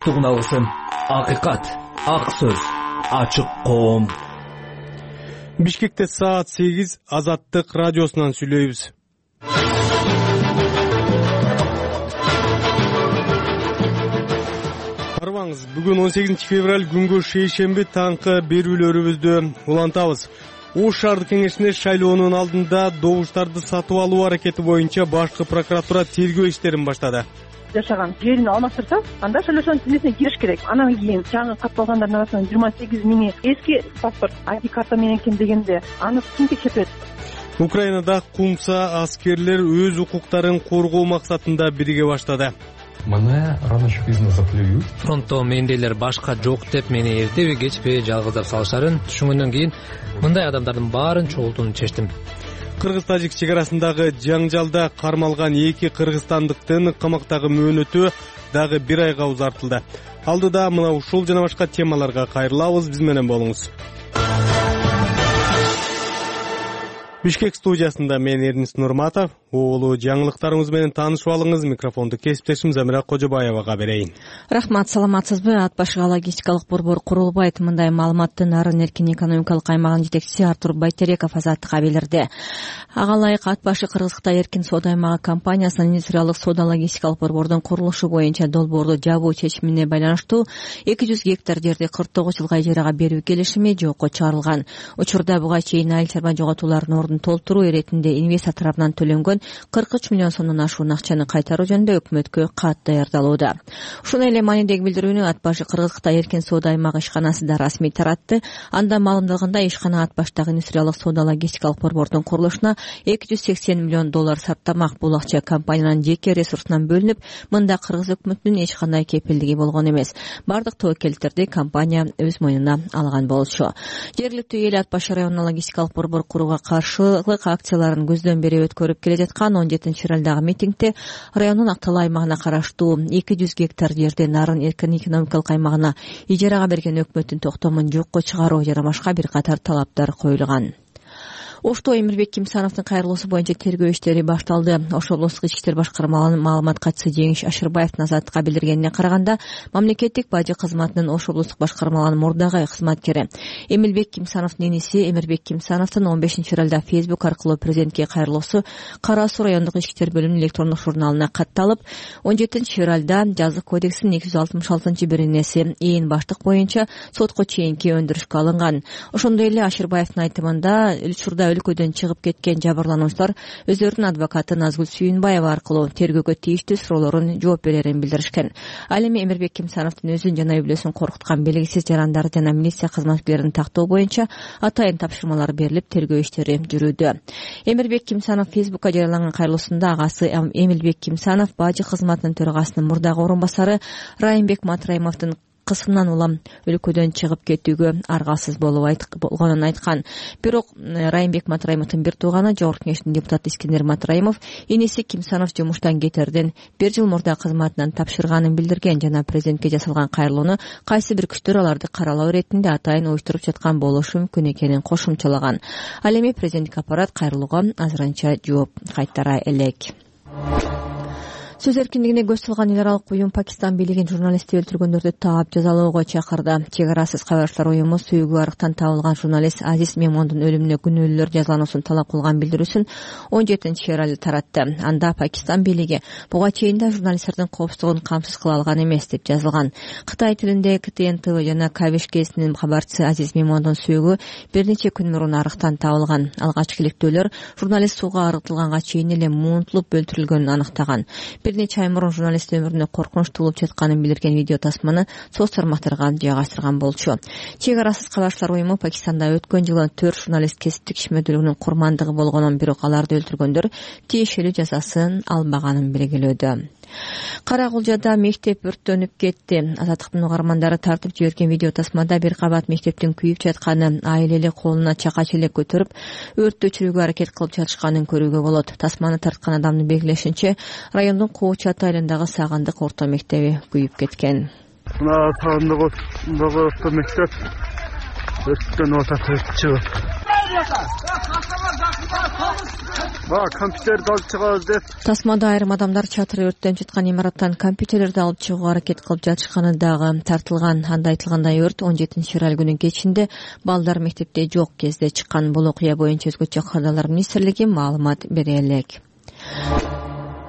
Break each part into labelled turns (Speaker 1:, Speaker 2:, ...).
Speaker 1: Тугуналысын акыйкат, ак сөз, ачык коом.
Speaker 2: Бишкекте саат 8 Азаттык радиосунан сүйлөйбүз. Арбаңыз, бүгүн 18 февраль күнгө шейшемби таңкы берүүлөрүбүздү улантабыз. Ош шаардык кеңешине шайлоонун алдында добуштарды сатып алуу аракети боюнча башкы прокуратура тергөө иштерин баштады.
Speaker 3: Жашаган жерин алмаштырса, анда шайлоочунун тизмесине кириш керек. Анан кийин жаңы катталгандардын арасынан 28 миңи эски паспорт, ID карта менен экен дегенде аны ким текшерет?
Speaker 2: Украинада кумса аскерлер өз укуктарын коргоо максатында бирге баштады.
Speaker 4: Мына рано чи поздно заплюют.
Speaker 5: Фронтто мендейлер башка жок деп мени эртеби кечпи жалгыздап салыштарын түшүнгөндөн кийин мындай адамдардын баарын чогултууну чечтим.
Speaker 2: Кыргыз-тажик чек арасындагы жаңжалда кармалган 2 кыргызстандыктын камактагы мөөнөтү дагы 1 айга узартылды. Алдыда мына ушул жана башка темаларга кайрылабыз, биз менен болуңуз. Бишкек студиясында мен Эрнис Нурматов. Оолу жаңылыктарыбыз менен таанышып алыңыз. Микрофонду кесиптешим Замира Кожобаевага берейин.
Speaker 6: Рахмат, саламатсызбы? Ат башыга логистикалык борбор курулбайт. Мындай маалыматты Нарын эркин экономикалык аймагынын жетекчиси Артур Байтереков Азаттыкка билдирди. Ага ылайык ат башы Кыргыз-Кытай эркин соода аймагы компаниясынын индустриалдык соода логистикалык борбордун курулушу боюнча долбоорду жабуу чечимине байланыштуу 200 гектар жерди 49 жылга ижарага берүү келишими жокко чыгарылган. Учурда буга чейин айыл чарба жоготуулардын ордун толтуруу иретинде инвестор тарабынан төлөнгөн 43 миллион сомдон ашуун акчаны кайтаруу жөнүндө өкмөткө кат даярдалууда. Ушуну эле маанидеги билдирүүнү ат башы Кыргыз-Кытай эркин соода аймагы ишканасы да расмий таратты. Анда маалымдалгандай ишкана ат баштагы индустриалдык соода логистикалык борбордун курулушуна 280 миллион доллар сарптамак. Бул акча компаниянын жеке ресурсунан бөлүнүп, мында Кыргыз өкмөтүнүн эч кандай кепилдиги болгон эмес. Бардык тобокелдиктерди компания өз мойнуна алган болчу. Жергиликтүү эл ат башы районуна логистикалык борбор курууга каршылык акцияларын көздөн бери өткөрүп келе жаткан 17 февралдагы митингде райондун Актала аймагына караштуу 200 гектар жерди Нарын эркин экономикалык аймагына ижарага берген өкмөттүн токтомун жокко чыгаруу жана башка бир катар талаптар коюлган. Ошто Эмирбек Кимсановдун кайрылуусу боюнча тергөө иштери башталды. Ош облустук ички иштер башкармалыгынын маалымат катчысы Жеңиш Ашырбаевдин Азаттыкка билдиргенине караганда, мамлекеттик бажы кызматынын Ош облустук башкармалыгынын мурдагы кызматкери Эмилбек Кимсановдун иниси Эмирбек Кимсановдун 15 февралда Facebook аркылуу президентке кайрылуусу Кара Суу райондук ички иштер бөлүмүнүн электрондук журналына катталып, 17 февралда жазык кодексинин 266-беренеси ээн баштык боюнча сотко чейинки өндүрүшкө алынган. Ошондой эле Ашырбаевдин айтымында учурда өлкөдөн чыгып кеткен жабырлануучулар өздөрүнүн адвокаты Назгүл Сүйүнбаева аркылуу тергөөгө тийиштүү суроолорун жооп берерин билдиришкен. Ал эми Эмирбек Кимсановдун өзүн жана үй бүлөсүн коркуткан белгисиз жарандарды жана милиция кызматкерлерин тактоо боюнча атайын тапшырмалар берилип, тергөө иштери жүрүүдө. Эмирбек Кимсанов Фейсбукка жарыялаган кайрылуусунда агасы Эмилбек Кимсанов бажы кызматынын төрагасынын мурдагы орун басары Райымбек Матраимовдун кысымынан улам өлкөдөн чыгып кетүүгө аргасыз болгонун айткан. Бирок Райымбек Матраимовдун бир тууганы, Жогорку Кеңештин депутаты Искендер Матраимов, иниси Кимсанов жумуштан кетерден 1 жыл мурда кызматынан тапшырганын билдирген жана президентке жасалган кайрылууну кайсы бир күчтөр аларды каралоо иретинде атайын уюштуруп жаткан болушу мүмкүн экенин кошумчалаган. Ал эми президенттик аппарат кайрылууга азырынча жооп кайтара элек. Сөз эркиндигине көз салган эл аралык уюм Пакистан бийлигин журналистти өлтүргөндөрдү таап жазалоого чакырды. Чек арасыз кабарчылар уюму сүйүгү арыктан табылган журналист Азиз Мемондун өлүмүнө күнөөлүүлөр жазалануусун талап кылган билдирүүсүн 17 февралда таратты. Анда Пакистан бийлиги буга чейин да журналисттердин коопсуздугун камсыз кыла алган эмес деп жазылган. Кытай тилинде КТН ТВ жана Кабиш гезитинин кабарчысы Азиз Мемондун сүйүгү бир нече күн мурун арыктан табылган. Алгачкы иликтөөлөр журналист сууга арытылганга чейин эле муунтулуп өлтүрүлгөнүн аныктаган. Бир нече ай мурун журналист өмүрүнө коркунучтуу болуп жатканын билдирген видео тасманы соц тармактарга жайгаштырган болчу. Чек арасыз кабарчылар уюму Пакистанда өткөн жылы 4 журналист кесиптик ишмердүүлүгүнүн курмандыгы болгонун, бирок аларды өлтүргөндөр тиешелүү жазасын албаганын белгилөөдө. Кара Кулжада мектеп өрттөнүп кетти. Азаттыктын угармандары тартып жиберген видео тасмада бир кабат мектептин күйүп жатканын, айыл колуна чака челек көтөрүп өрттү өчүрүүгө аракет кылып жатышканын көрүүгө болот. Тасманы тарткан адамдын белгилешинче, райондун Куучат айылындагы Сагындык орто мектеби күйүп кеткен.
Speaker 2: Сагындык орто мектеп өрттөн отатып чыгып Компьютерди алып чыгабыз деп.
Speaker 6: Тасмада айрым адамдар чатыры өрттөнүп жаткан имараттан компьютерлерди алып чыгууга аракет кылып жатышканы дагы тартылган. Анда айтылгандай өрт 17-февраль күнү кечинде балдар мектепте жок кезде чыккан. Бул окуя боюнча Өзгөчө кадрлар министрлиги маалымат бере элек.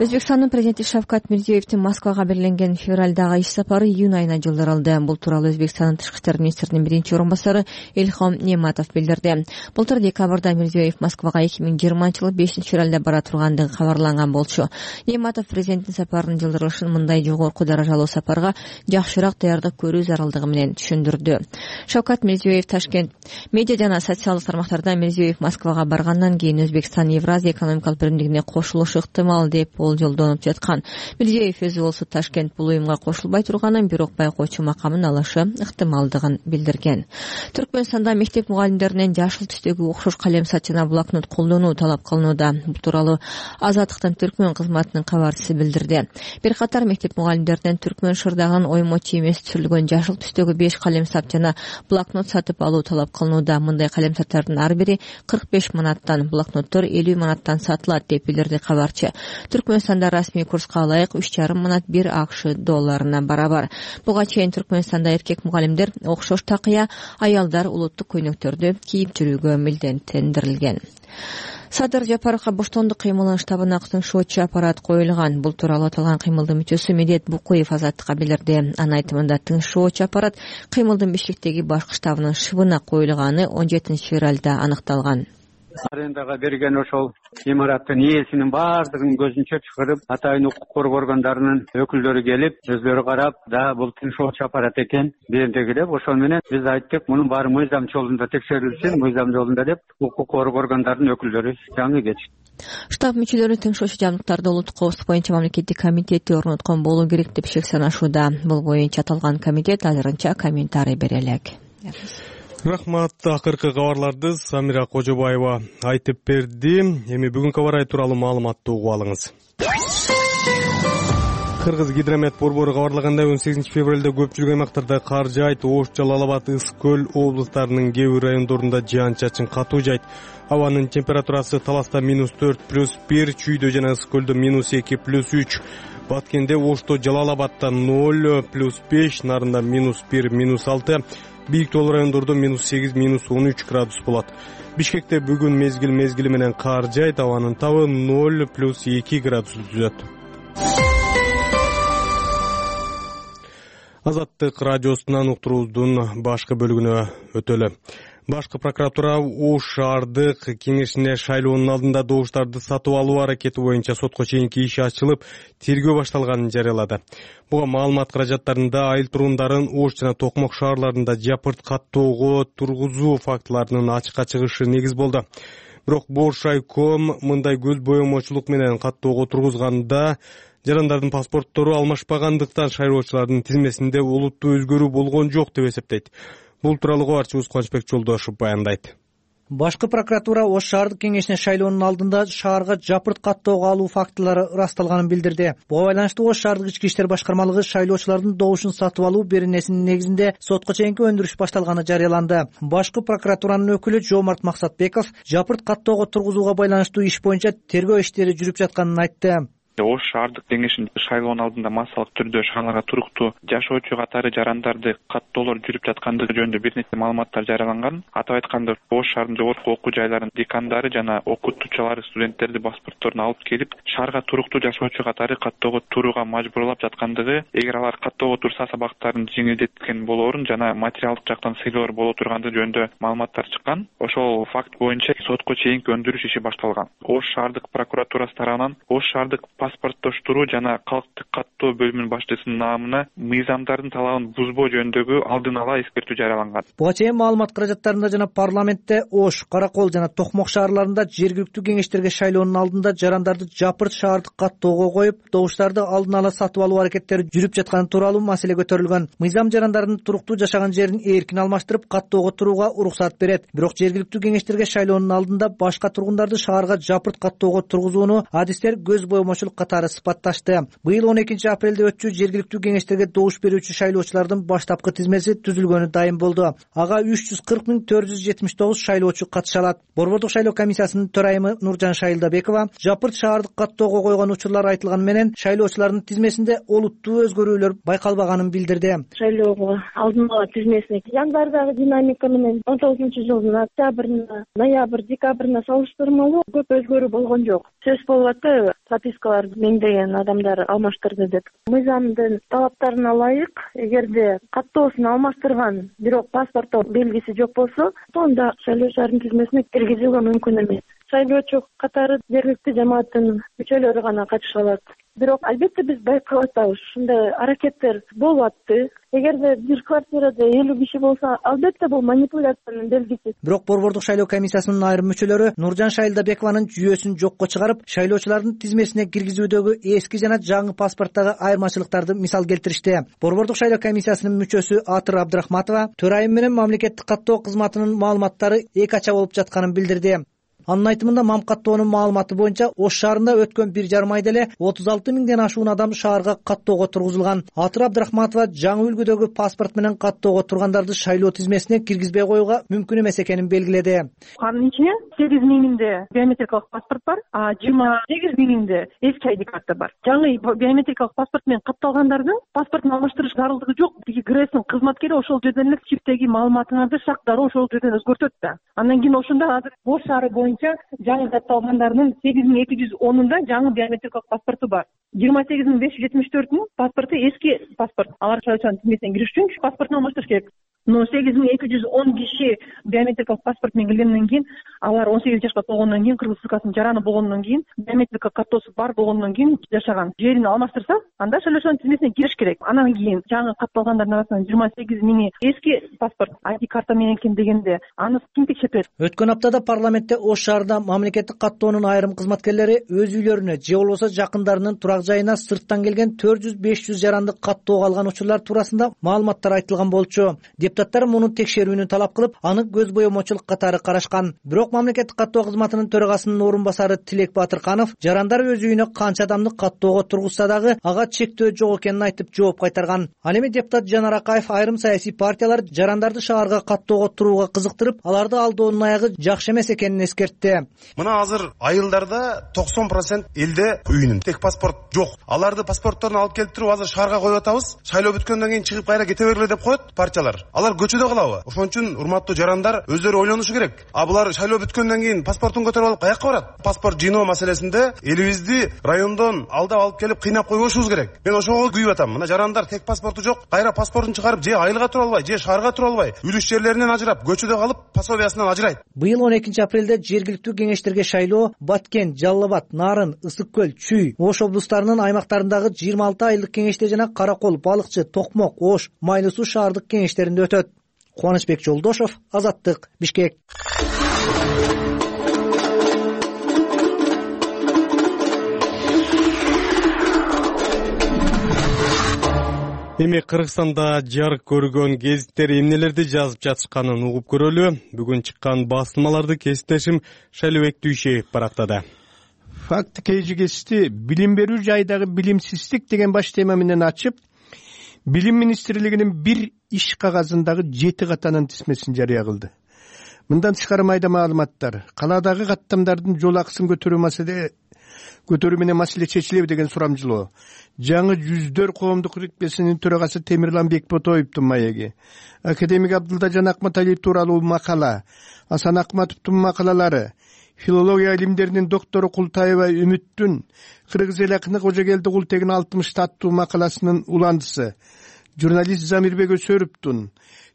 Speaker 6: Өзбекстандын президенти Шавкат Мирзиёевдин Москвага белгиленген февралдагы иш сапары июнь айына жылдырылды. Бул тууралуу Өзбекстандын тышкы иштер министринин биринчи орун басары Элхом Нематов билдирди. Былтыр декабрда Мирзиёев Москвага 2020-жылы 5-февралда бара тургандыгы кабарланган болчу. Нематов президенттин сапарынын жылдырылышын мындай жогорку даражалуу сапарга жакшыраак даярдык көрүү зарылдыгы менен түшүндүрдү. Шавкат Мирзиёев Ташкент медиа жана социалдык тармактарда Мирзиёев Москвага баргандан кийин Өзбекстан Евразия экономикалык биримдигине кошулушу ыктымал деп жолдонуп жаткан. Мирзиёев өзү болсо Ташкент бул уюмга кошулбай турганын, бирок байкоочу макамын алышы ыктымалдыгын билдирген. Түркмөнстанда мектеп мугалимдеринен жашыл түстөгү окшош калем сат жана блокнот колдонуу талап кылынууда. Бул тууралуу Азаттыктын Түркмөн кызматынын кабарчысы билдирди. Бир катар мектеп мугалимдеринен түркмөн шырдагын оймочу эмес түзүлгөн жашыл түстөгү 5 калем сат жана блокнот сатып алуу талап кылынууда. Мындай калем саттардын ар бири 45 манаттан, блокноттор 50 манаттан сатылат деп билдирди кабарчы. Түркмөнстанда расмий курска ылайык 3,5 манат 1 АКШ долларына барабар. Буга чейин Түркмөнстанда эркек мугалимдер окшош такыя, аялдар улуттук көйнөктөрдү кийип жүрүүгө милдеттендирилген. Садыр Жапаровго боштондук кыймылынын штабына тыңшоочу аппарат коюлган. Бул тууралуу аталган кыймылдын мүчөсү Медет Букуев Азаттыкка билдирди. Анын айтымында тыңшоочу аппарат кыймылдын Бишкектеги башкы штабынын шыбына коюлганы 17-февралда аныкталган.
Speaker 7: Арендага берген ошол имараттын ээсинин баардыгын көзүнчө чыгарып, атайын укук коргоо органдарынын өкүлдөрү келип, өздөрү карап, да бул тыңшоочу аппарат экен дегенде деп, ошол менен биз айттык, мунун баары мыйзам жолунда текшерилсин, мыйзам жолунда деп, укук коргоо органдарынын өкүлдөрү жаңы кетишти.
Speaker 6: Штаб мүчөлөрү тыңшоочу жабдыктарды улуттук коопсуздук боюнча мамлекеттик комитети орноткон болуу керек деп шек санашууда. Бул боюнча аталган комитет азырынча комментарий бере элек.
Speaker 2: Рахмат. Акыркы кабарларды Самира Кожобаева айтып берди. Эми бүгүнкү аба ырайы тууралуу маалыматты угуп алыңыз. Кыргыз гидромет борбору кабарлагандай 18 февралда көпчүлүк аймактарда кар жаайт. Ош, Жалал Абад, Ысык көл облустарынын кээ бир райондорунда жаан-чачын катуу жайт. Абанын температурасы Таласта -4+1, Чүйдө жана Ысык көлдө -2+3, Баткенде, Ошто, Жалал Абадта 0+5, Нарында -1, -6, бийик тоолуу райондордо -8, -13 градус болот. Бишкекте бүгүн мезгили менен кар жаайт, абанын табы 0+2 градус түзөт. Азаттык радиосунан уктуруубуздун башкы бөлүгүнө өтөлү. Башкы прокуратура Ош шаардык кеңешине шайлоонун алдында добуштарды сатып алуу аракети боюнча сотко чейинки иш ачылып, тергөө башталганын жарыялады. Буга маалымат каражаттарында айыл турундарын Ош жана Токмок шаарларында жапырт каттоого тургузуу фактыларынын ачыкка чыгышы негиз болду. Бирок Бош райком мындай көз боемочулук менен каттоого тургузганда жарандардын паспорттору алмашпагандыктан шайлоочулардын тизмесинде олуттуу өзгөрүү болгон жок деп эсептейт. Бул тууралуу кабарчыбыз Кубанычбек Жолдошев баяндайт.
Speaker 8: Башкы прокуратура Ош шаардык кеңешине шайлоонун алдында шаарга жапырт каттоого алуу фактылары ырасталганын билдирди. Буга байланыштуу Ош шаардык ички иштер башкармалыгы шайлоочулардын добушун сатып алуу беренесинин негизинде сотко чейинки өндүрүш башталганы жарыяланды. Башкы прокуратуранын өкүлү Жомарт Максатбеков жапырт каттоого тургузууга байланыштуу иш боюнча тергөө иштери жүрүп жатканын айтты.
Speaker 9: Ош шаардык кеңешинин шайлоонун алдында массалык түрдө шаарларга туруктуу жашоочу катары жарандарды каттоолор жүрүп жаткандыгы жөнүндө бир нече маалыматтар жарыяланган. Атап айтканда, Ош шаарынын жогорку окуу жайларынын декандары жана окутуучулары студенттерди паспортторун алып келип, шаарга туруктуу жашоочу катары каттоого турууга мажбурлап жаткандыгы, эгер алар каттоого турса сабактарын жеңилдеткен болоорун жана материалдык жактан сыйлоор боло тургандыгы жөнүндө маалыматтар чыккан. Ошол факт боюнча сотко чейинки өндүрүш иши башталган. Ош шаардык прокуратурасы тарабынан Ош шаардык паспорттоштуруу жана калктык каттоо бөлүмүнүн башчысынын наамына мыйзамдардын талабын бузбоо жөнүндөгү алдын ала эскертүү жарыяланган.
Speaker 8: Буга чейин маалымат каражаттарында жана парламентте Ош, Каракол жана Токмок шаарларында жергиликтүү кеңештерге шайлоонун алдында жарандарды жапырт шаардык каттоого коюп, добуштарды алдын ала сатып алуу аракеттери жүрүп жатканы тууралуу маселе көтөрүлгөн. Мыйзам жарандардын туруктуу жашаган жерин эркин алмаштырып, каттоого турууга уруксат берет. Бирок жергиликтүү кеңештерге шайлоонун алдында башка тургундарды шаарга жапырт каттоого тургузууну адистер көз боемочулук шайлоочулук катары сыпатташты. Быйыл 12 апрелде өтчү жергиликтүү кеңештерге добуш берүүчү шайлоочулардын баштапкы тизмеси түзүлгөнү дайым болду. Ага 340,479 шайлоочу катыша алат. Борбордук шайлоо комиссиясынын төрайымы Нуржан Шайылдабекова жапырт шаардык каттоого койгон учурлар айтылганы менен шайлоочулардын тизмесинде олуттуу өзгөрүүлөр байкалбаганын билдирди.
Speaker 10: Шайлоого алдын ала тизмесине январдагы динамика менен 19-жылдын октябрына, ноябрь, декабрына салыштырмалуу көп өзгөрүү болгон жок. Сөз болуп атты, пропискалар миңдеген адамдар алмаштырды деп. Мыйзамдын талаптарына ылайык, эгерде каттоосун алмаштырган, бирок паспортто белгиси жок болсо, анда шайлоочулардын тизмесине киргизүүгө мүмкүн эмес. Шайлоочу катары жергиликтүү жамааттын мүчөлөрү гана катыша алат. Бирок албетте биз байкап атабыз, ушундай аракеттер болуп атты. Эгерде бир квартирада 50 киши болсо, албетте бул манипуляциянын белгиси.
Speaker 8: Бирок борбордук шайлоо комиссиясынын айрым мүчөлөрү Нуржан Шайылдабекованын жүйөсүн жокко чыгарып, шайлоочулардын тизмесине киргизүүдөгү эски жана жаңы паспорттагы айырмачылыктарды мисал келтиришти. Борбордук шайлоо комиссиясынын мүчөсү Атыр Абдрахматова төрайым менен мамлекеттик каттоо кызматынын маалыматтары эки ача болуп жатканын билдирди. Анын айтымында МАМ каттоонун маалыматы боюнча Ош шаарында өткөн 1,5 айда эле 36 миңден ашуун адам шаарга каттоого тургузулган. Атыр Абдрахматова жаңы үлгүдөгү паспорт менен каттоого тургандарды шайлоо тизмесине киргизбей коюуга мүмкүн эмес экенин белгиледи.
Speaker 3: Анын ичинде 8 миңинде биометрикалык паспорт бар, 28 миңинде эски ID карта бар. Жаңы биометрикалык паспорт менен катталгандардын паспортун алмаштырыш зарылдыгы жок. Тиги ГРЭСтин кызматкери ошол жерден эле чиптеги маалыматыңарды шак дароо ошол жерден өзгөртөт да. Андан кийин ошондо азыр Ош шаары жаңы катталгандардын 8210-унда жаңы биометрикалык паспорту бар. 28574-нүн паспорту эски паспорт. Алар шайлоочулардын тизмесине кириш үчүн паспортун алмаштырыш керек. Но 8210 киши биометрикалык паспорт менен келгенден кийин, алар 18 жашка толгондон кийин, кыргыз СКсынын жараны болгондон кийин, биометрика каттоосу бар болгондон кийин жашаган. Жерин алмаштырса, анда шайлоочулардын тизмесине кириш керек. Анан кийин жаңы катталгандардын арасынан 28 миңи эски паспорт, ID карта менен экен дегенде, аны ким текшертет?
Speaker 8: Өткөн аптада парламентте Ош шаарында мамлекеттик каттоонун айрым кызматкерлери өз үйлөрүнө же болбосо жакындарынын турак жайына сырттан келген 400-500 жаранды каттоого алган учурлар туурасында маалыматтар айтылган болчу. Депутаттар муну текшерүүнү талап кылып, аны көз боемочулук катары карашкан. Бирок мамлекеттик каттоо кызматынын төрагасынын орун басары Тилек Батырканов жарандар өз үйүнө канча адамды каттоого тургузса дагы ага чектөө жок экенин айтып жооп кайтарган. Ал эми депутат Жанар Акаев айрым саясий партиялар жарандарды шаарга каттоого турууга кызыктырып, аларды алдоонун аягы жакшы эмес экенин эскертти.
Speaker 11: Мына азыр айылдарда 90% элде үйүнүн тек паспорт жок. Аларды паспортторун алып келип туруп азыр шаарга коюп атабыз. Шайлоо бүткөндөн кийин чыгып кайра кете бергиле деп коет партиялар. Алар көчөдө калабы? Ошон үчүн урматтуу жарандар өздөрү ойлонушу керек. Булар шайлоо бүткөндөн кийин паспортун көтөрүп алып каяка барат? Паспорт жыйноо маселесинде элибизди райондон алдап алып келип кыйнап койбошубуз керек. Мен ошого күйүп атам. Мына жарандар тек паспорту жок, кайра паспортун чыгарып же айылга тура албай, же шаарга тура албай, үлүш жерлеринен ажырап, көчөдө калып, пособиясынан ажырайт.
Speaker 8: Быйыл 12 апрелде жергиликтүү кеңештерге шайлоо Баткен, Жалал абад, Нарын, Ысык көл, Чүй, Ош облустарынын аймактарындагы 26 айылдык кеңеште жана Каракол, Балыкчы, Токмок, Ош, Майлы суу шаардык кеңештеринде өтөт. Кубанычбек Жолдошов, Азаттык, Бишкек.
Speaker 2: Эми Кыргызстанда жарык көргөн гезиттер эмнелерди жазып жатышканын угуп көрөлү. Бүгүн чыккан басылмаларды кесиптешим Шайлообек Дүйшеев барактады.
Speaker 12: Факты KGS'ти билим берүү жайдагы билимсиздик деген баш тема менен ачып, Билим министрлигинин бир иш кагазындагы 7 катанын тизмесин жарыя кылды. Мындан тышкары майда маалыматтар, каладагы каттамдардын жол акысын көтөрүү менен маселе чечилеби деген сурамжылоо, жаңы жүздөр коомдук иркпесинин төрагасы Темирлан Бекботоевдун маеги, академик Абдылдажан Акматалиев тууралуу макала, Асан Акматовдун макалалары, филология илимдеринин доктору Култаева Үмүттүн кыргыз эл акыны Кожогелди Култегин 60 аттуу макаласынын уландысы, журналист Замирбек Өсөровдун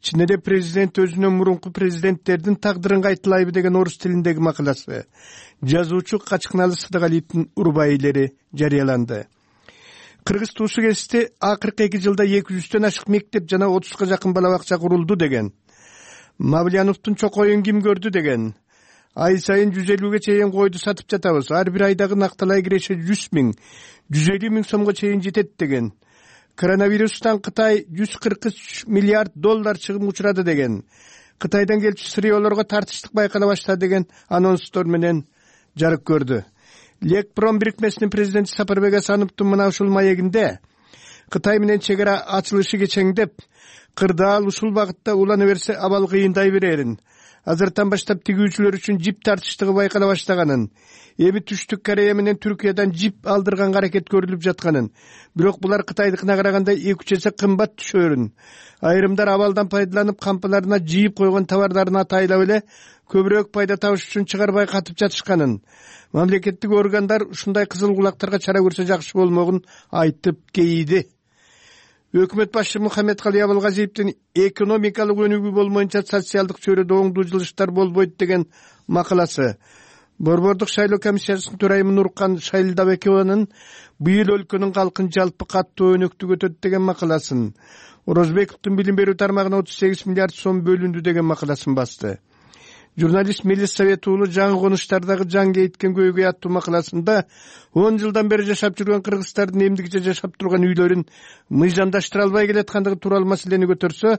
Speaker 12: Чынеде президент өзүнүн мурунку президенттердин тагдырын кайталайбы деген орус тилиндеги макаласы, жазуучу Качкыналы Сыдыгалиевдин урбайлери жарыяланды. Кыргыз туусу кести акыркы 2 жылда 200төн ашык мектеп жана 30га жакын бала бакча курулду деген. Мавлияновдун чокоюн ким көрдү деген. Ай сайын 150ге чейин койду сатып жатабыз. Ар бир айдагы накталай киреше 100 миң, 150 миң сомго чейин жетет деген. Коронавирустан Кытай 143 миллиард доллар чыгым учурады деген. Кытайдан келчү сыриолорго тартыштык байкала баштады деген анонстор менен жарык көрдү. Лекпром бирикмесинин президенти Сапарбек Асановдун мына ушул маегинде Кытай менен чек ара ачылышы кечеңдеп, кырдаал ушул багытта улана берсе абал кыйындай берерин, азыртан баштап тигүүчүлөр үчүн жип тартыштыгы байкала баштаганын, эми Түштүк Корея менен Түркиядан жип алдырганга аракет көрүлүп жатканын, бирок булар Кытайдыкына караганда 2-3 эсе кымбат түшөрүн, айрымдар абалдан пайдаланып кампаларына жыйып койгон товардарын атайлап эле көбүрөөк пайда табыш үчүн чыгарбай катып жатышканын, мамлекеттик органдар ушундай кызыл кулактарга чара көрсө жакшы болмогун айтып кейиди. Өкмөт башчы Мухаммедкалый Абылгазиевдин экономикалык өнүгүү болмоюнча социалдык чөйрөдө оңдуу жылыштар болбойт деген макаласы. Борбордук шайлоо комиссиясынын төрайымы Нуркан Шайлдабекованын быйыл өлкөнүн калкын жалпы каттуу өнөктү өтөт деген макаласын, Орозбековдун билим берүү тармагына 38 миллиард сом бөлүндү деген макаласын басты. Журналист Мелис Совет уулу жаңы конуштардагы жаң кейиткен көйгөй аттуу макаласында 10 жылдан бери жашап жүргөн кыргыздардын эмдигиче жашап турган үйлөрүн мыйзамдаштыра албай келаткандыгы тууралуу маселени көтөрсө,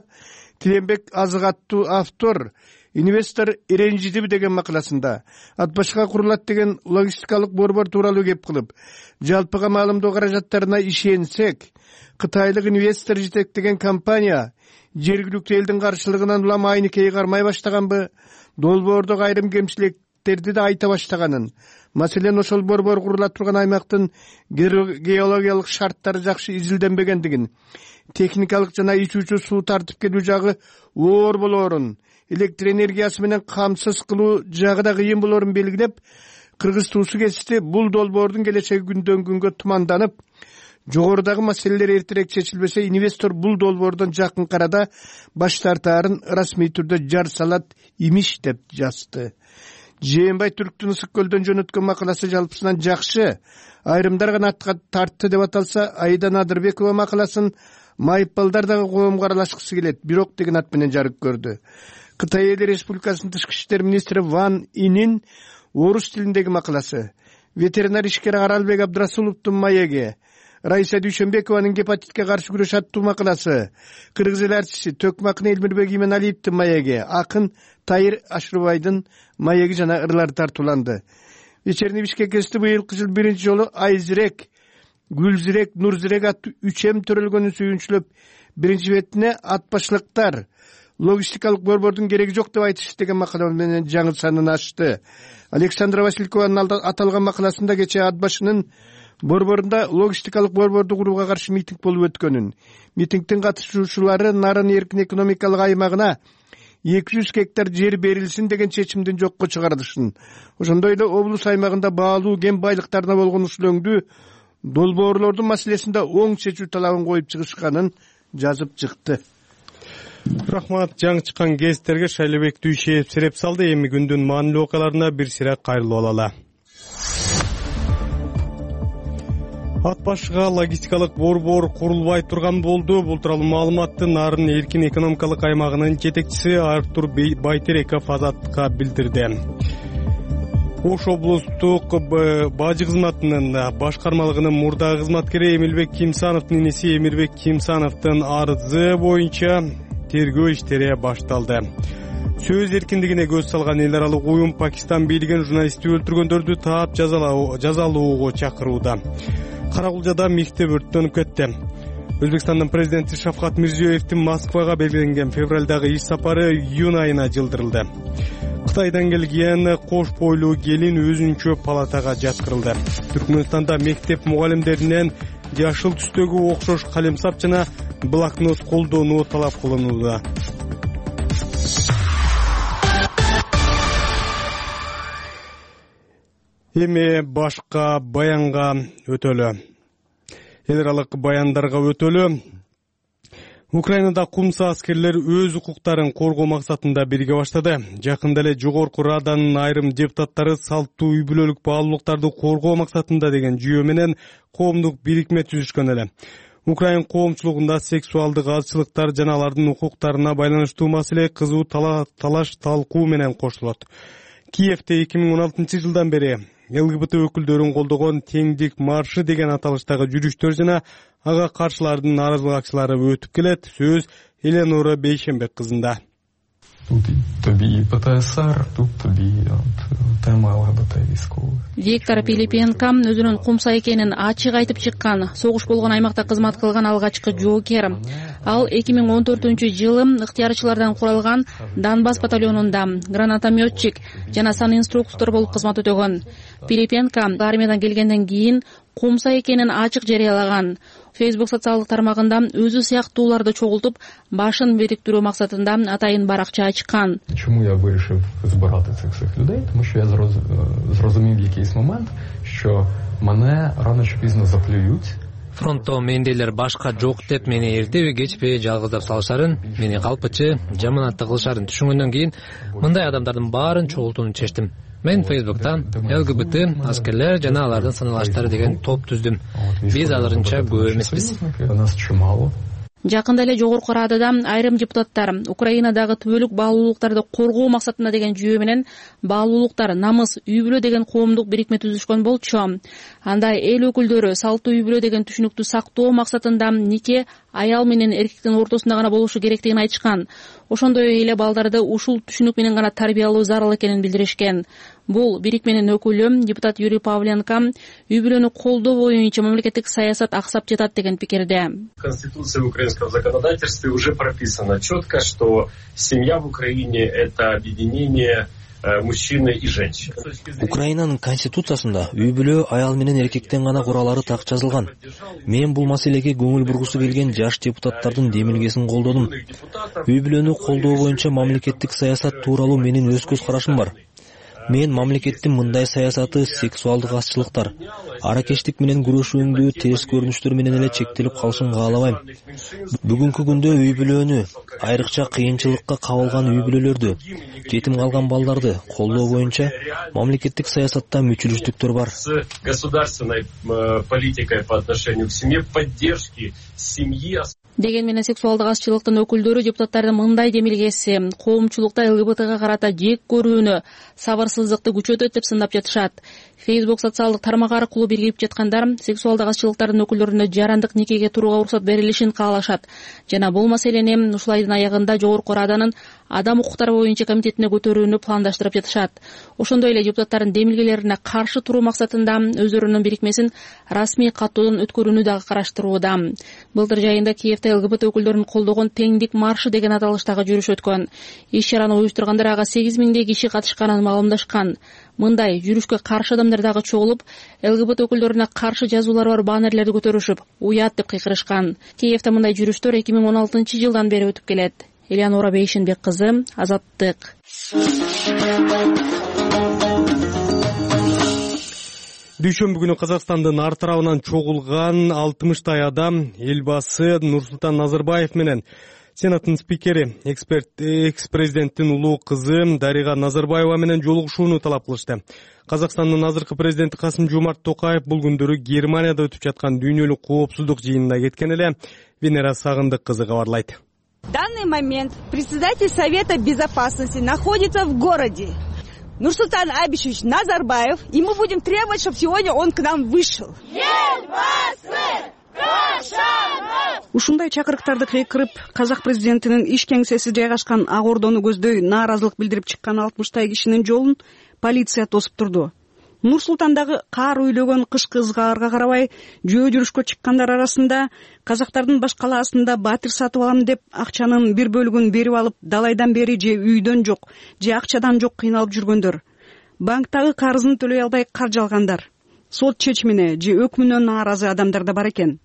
Speaker 12: Тилембек Азык аттуу автор инвестор ренжидиби деген макаласында ат башка курулат деген логистикалык борбор тууралуу кеп кылып, жалпыга маалымдоо каражаттарына ишенсек, кытайлык инвестор жетектеген компания жергиликтүү элдин каршылыгынан улам айнекей кармай баштаганбы, долбоордогу айрым кемчиликтерди да айта баштаганын, маселен ошол борбор курула турган аймактын геологиялык шарттары жакшы изилденбегендигин, техникалык жана ичүүчү суу тартып келүү жагы оор болоорун, электр энергиясы менен камсыз кылуу жагы да кыйын болоорун белгилеп, Кыргыз туусу кести бул долбоордун келечеги күндөн күнгө туманданып, жогорудагы маселелер эртерээк чечилбесе, инвестор бул долбоордон жакын арада баш тартаарын расмий түрдө жар салат имиш деп жазды. Жээнбай Түрктүн Ысык көлдөн жөнөткөн макаласы жалпысынан жакшы, айрымдар гана тартты деп аталса, Айдан Адырбекова макаласын майыппалдар дагы коомго аралашкысы келет, бирок деген ат менен жарык көрдү. Кытай Эл Республикасынын тышкы иштер министри Ван Инин орус тилиндеги макаласы, ветеринар ишкер Аралбек Абдрасуловдун маеги, Райса Дүйшөнбекованын гепатитке каршы күрөш аттуу макаласы, Кыргыз эл артисти Төкмакын Элмирбек Именалиевдин маеги, акын Тайыр Ашрубайдын маеги жана ырлар тартууланды. Вечерний Бишкек гезити быйылкы жыл биринчи жолу Айзирек, Гүлзирек, Нурзирек аттуу 3 төрөлгөнүн сүйүнчүлөп, биринчи бетине ат башлыктар логистикалык борбордун кереги жок деп айтыш деген макала менен жаңы санын ачты. Александра Василькованын аталган макаласында кечээ ат башынын борборунда логистикалык борборду курууга каршы митинг болуп өткөнүн, митингдин катышуучулары Нарын эркин экономикалык аймагына 200 гектар жер берилсин деген чечимдин жокко чыгарылышын, ошондой эле облус аймагында баалуу кен байлыктарына болгон ушул өңдүү долбоорлордун маселесинде оң чечүү талабын коюп чыгышканын жазып чыкты.
Speaker 2: Рахмат, жаңы чыккан гезиттерге Шайлообек Дүйшеев сереп салды. Эми күндүн маанилүү окуяларына бир сыйра кайрылып алалы. Ат башыга логистикалык борбор курулбай турган болду. Бул тууралуу маалыматты Нарын эркин экономикалык аймагынын жетекчиси Артур Байтереков Азаттыкка билдирди. Ош облустук бажы кызматынын башкармалыгынын мурдагы кызматкери Эмилбек Кимсановдун инеси Эмирбек Кимсановдун арызы боюнча тергөө иштери башталды. Сөз эркиндигине көз салган эл аралык уюм Пакистан бийлигин журналистти өлтүргөндөрдү таап жазалоого чакырууда. Каракулжада мектеп өрттөнүп кетти. Өзбекстандын президенти Шавкат Мирзиёевдин Москвага белгиленген февралдагы иш сапары июнь айына жылдырылды. Кытайдан келген кош бойлуу келин өзүнчө палатага жаткырылды. Түркмөнстанда мектеп мугалимдеринен жашыл түстөгү окшош калемсап жана блокнот колдонуу талап кылынууда. Эми башка баянга өтөлү. Эл аралык баяндарга өтөлү. Украинада кумса аскерлер өз укуктарын коргоо максатында бирге баштады. Жакында эле Жогорку Раданын айрым депутаттары салттуу үй бүлөлүк баалуулуктарды коргоо максатында деген жүйө менен коомдук бирикме түзүшкөн эле. Украин коомчулугунда сексуалдык азчылыктар жана алардын укуктарына байланыштуу маселе кызуу талаш талкуу менен кошулот. Киевде 2016 жылдан бери ЛГБТ өкүлдөрүн колдогон теңдик маршы деген аталыштагы жүрүштөр жана ага каршылардын нааразылык акциялары өтүп келет. Сөз Эленора Бейшенбек кызында.
Speaker 4: Тут тобі і ПТСР, тут тобі тема ЛГБТ військових.
Speaker 13: Виктор Пилипенко өзүнүн кумса экенин ачык айтып чыккан, согуш болгон аймакта кызмат кылган алгачкы жоокер. Ал 2014-жылы ыктыярчылардан куралган Донбасс батальонунда гранатометчик жана санинструктор болуп кызмат өтөгөн. Пилипенко армиядан келгенден кийин кумса экенин ачык жарыялаган. Facebook социалдык тармагында өзү сыяктууларды чогултуп, башын бириктирүү максатында атайын баракча ачкан.
Speaker 4: Чому я вирішив збирати цих всіх людей? Тому що я зрозумів в якийсь момент, що мене рано чи пізно заплюють.
Speaker 5: Фронтто мендейлер башка жок деп мени эртеби кечпи жалгыздап салышарын, мени калпычы, жаманатты кылышарын түшүнгөндөн кийин мындай адамдардын баарын чогултууну чечтим. Мен Facebook'ta ЛГБТ аскерлер жана алардын саналаштары деген топ түздүм. Биз азырынча көп эмеспиз.
Speaker 13: Жакында эле Жогорку Радада айрым депутаттар Украинадагы түбөлүк баалуулуктарды коргоо максатында деген жүйө менен баалуулуктар, намыс, үй бүлө деген коомдук бирикме түзүшкөн болчу. Анда эл өкүлдөрү салттуу үй бүлө деген түшүнүктү сактоо максатында нике аял менен эркектин ортосунда гана болушу керектигин айтышкан. Ошондой эле балдарды ушул түшүнүк менен гана тарбиялоо зарыл экенин билдиришкен. Бул бирикменин өкүлү депутат Юрий Павленко үй бүлөнү колдоо боюнча мамлекеттик саясат аксап жатат деген пикирде.
Speaker 14: Конституция украинского законодательства уже прописано четко, что семья в Украине — это объединение мужчины и женщины.
Speaker 15: Украинанын конституциясында үй бүлө аял менен эркектен гана куралары так жазылган. Мен бул маселеге көңүл бургусу келген жаш депутаттардын демилгесин колдодум. Үй бүлөнү колдоо боюнча мамлекеттик саясат тууралуу менин өз көз карашым бар. Мен мамлекеттин мындай саясаты сексуалдык азчылыктар, аракештик менен күрөшүүндө терс көрүнүштөр менен эле чектелип калышын каалабайм. Бүгүнкү күндө үй бүлөнү, айрыкча кыйынчылыкка кабылган үй бүлөлөрдү, жетим калган балдарды колдоо боюнча мамлекеттик саясатта мүчүлүштүктөр бар.
Speaker 14: Государственной политикой по отношению к семье, поддержки семьи.
Speaker 13: Деген менен сексуалдык азчылыктын өкүлдөрү депутаттардын мындай демилгеси коомчулукта ЛГБТга карата жек көрүүнү, сабырсыздыкты күчөтөт деп сындап жатышат. Facebook социалдык тармак аркылуу биригип жаткандар сексуалдык азчылыктардын өкүлдөрүнө жарандык никеге турууга уруксат берилишин каалашат. Жана бул маселени ушул айдын аягында Жогорку Раданын адам укуктары боюнча комитетине көтөрүүнү пландаштырып жатышат. Ошондой эле депутаттардын демилгелерине каршы туруу максатында өздөрүнүн бирикмесин расмий каттоодон өткөрүүнү дагы караштырууда. Былтыр жайында Киевде ЛГБТ өкүлдөрүн колдогон теңдик маршы деген аталыштагы жүрүш өткөн. Иш-чараны уюштургандар ага 8000 киши катышканын маалымдашкан. Мындай жүрүшкө каршы адамдар дагы чогулуп, ЛГБТ өкүлдөрүнө каршы жазуулары бар баннерлерди көтөрүшүп, уят деп кыйкырышкан. Киевде мындай жүрүштөр 2016-жылдан бери өтүп келет. Элеонора Бейшенбек кызы, Азаттык.
Speaker 2: Дүйшөмбү күнү Казакстандын ар тарабынан чогулган 60 адам элбасы Нурсултан Назарбаев менен Сенаттын спикери, экс-президенттин улуу кызы Дарига Назарбаева менен жолугушууну талап кылышты. Казакстандын азыркы президенти Касым-Жомарт Токаев бул күндөрү Германияда өтүп жаткан дүйнөлүк коопсуздук жыйынына кеткен эле. Венера Сагындык кызы кабарлайт.
Speaker 16: В данный момент председатель Совета Безопасности находится в городе. Нурсултан Абишевич Назарбаев, и мы будем требовать, чтобы сегодня он к нам вышел.
Speaker 17: Ушундай чакырыктарды кыйкырып, казак президентинин иш кеңсеси жайгашкан Ак Ордону көздөй нааразылык билдирип чыккан 60 кишинин жолун полиция тосуп турду. Нур-Султандагы каар үйлөгөн кышкы ызгаарга карабай, жөө жүрүшкө чыккандар арасында казактардын баш калаасында батир сатып алам деп акчанын бир бөлүгүн берип алып, далайдан бери же үйдөн жок, же акчадан жок кыйналып жүргөндөр, банктагы карызын төлөй албай каржы алгандар, сот чечимине же өкмүнө нааразы адамдар да бар экен.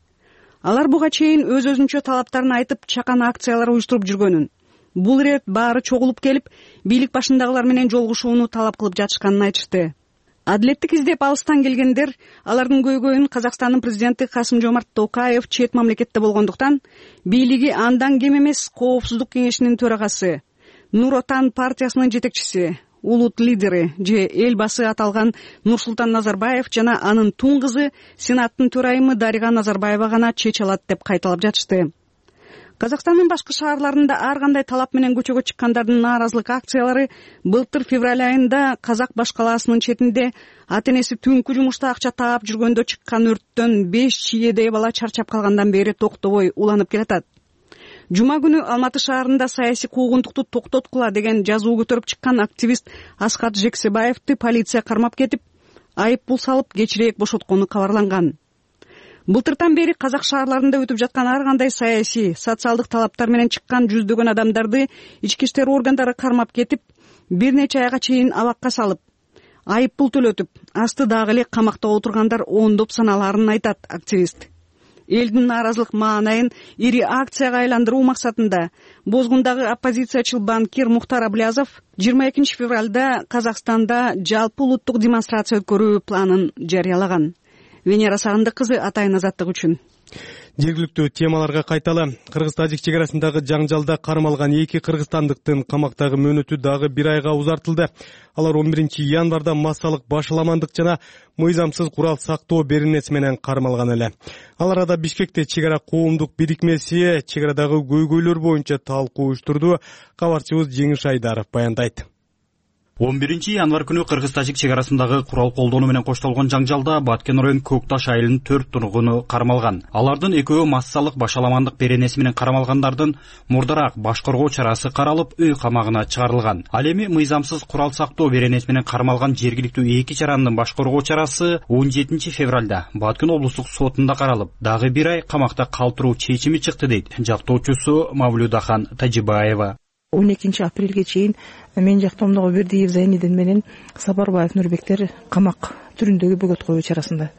Speaker 17: Алар буга чейин өз-өзүнчө талаптарын айтып, чакан акциялар уюштуруп жүргөнүн, бул ирет баары чогулуп келип, бийлик башындагылар менен жолугушууну талап кылып жатышканын айтышты. Адилеттик издеп алыстан келгендер алардын көйгөйүн Казакстандын президенти Касым-Жомарт Токаев чет мамлекетте болгондуктан бийлиги андан кем эмес Коопсуздук кеңешинин төрагасы, Нур Отан партиясынын жетекчиси, улут лидери же элбасы аталган Нурсултан Назарбаев жана анын тун кызы Сенаттын төрайымы Дарига Назарбаева гана чече алат деп кайталап жатышты. Казакстандын башкы шаарларында ар кандай талап менен көчөгө чыккандардын нааразылык акциялары былтыр февраль айында Казак баш калаасынын четинде ата-энеси түнкү жумушта акча таап жүргөндө чыккан өрттөн 5 чийедей бала чарчап калгандан бери токтобой уланып келатат. Жума күнү Алматы шаарында саясий куугунтукту токтоткула деген жазуу көтөрүп чыккан активист Аскат Жексебаевди полиция кармап кетип, айып пул салып кечирээк бошоткону кабарланган. Былтыртан бери казак шаарларында өтүп жаткан ар кандай саясий, социалдык талаптар менен чыккан жүздөгөн адамдарды ички иштер органдары кармап кетип, бир нече айга чейин абакка салып, айып пул төлөтүп, асты дагы эле камакта отургандар ондоп саналарын айтат активист. Элдин нааразылык маанайын ири акцияга айландыруу максатында Бозгундагы оппозициячыл банкир Мухтар Аблязов 22 февралда Казакстанда жалпы улуттук демонстрация өткөрүү планын жарыялаган. Венера Сагындык кызы, Атайын азаттык үчүн.
Speaker 2: Жергиликтүү темаларга кайталы. Кыргыз-Тажик чек арасындагы жаңжалда кармалган 2 кыргызстандыктын камактагы мөөнөтү дагы 1 айга узартылды. Алар 11 январда массалык башаламандык жана мыйзамсыз курал сактоо беренеси менен кармалган эле. Ал арада Бишкекте чек ара коомдук бирикмеси чек арадагы көйгөйлөр боюнча талкуу уюштурду. Кабарчыбыз Жеңиш Айдаров баяндайт.
Speaker 18: 11 январ күнү Кыргыз-Тажик чек арасындагы курал колдонуу менен коштолгон жаңжалда Баткен район Көкташ айылынын 4 тургуну кармалган. Алардын экөө массалык башаламандык беренеси менен кармалгандардын мурдараак баш коргоо чарасы каралып, үй камагына чыгарылган. Ал эми мыйзамсыз курал сактоо беренеси менен кармалган жергиликтүү 2 жарандын баш коргоо чарасы 17 февралда Баткен облустук сотунда каралып, дагы 1 ай камакта калтыруу чечими чыкты дейт жактоочусу Мавлюдахан Тажибаева.
Speaker 19: 12 апрелге чейин мен жактоомдогу Бердиев Зайнидин менен Сапарбаев Нурбектер камак түрүндөгү бөгөт коюу чарасында.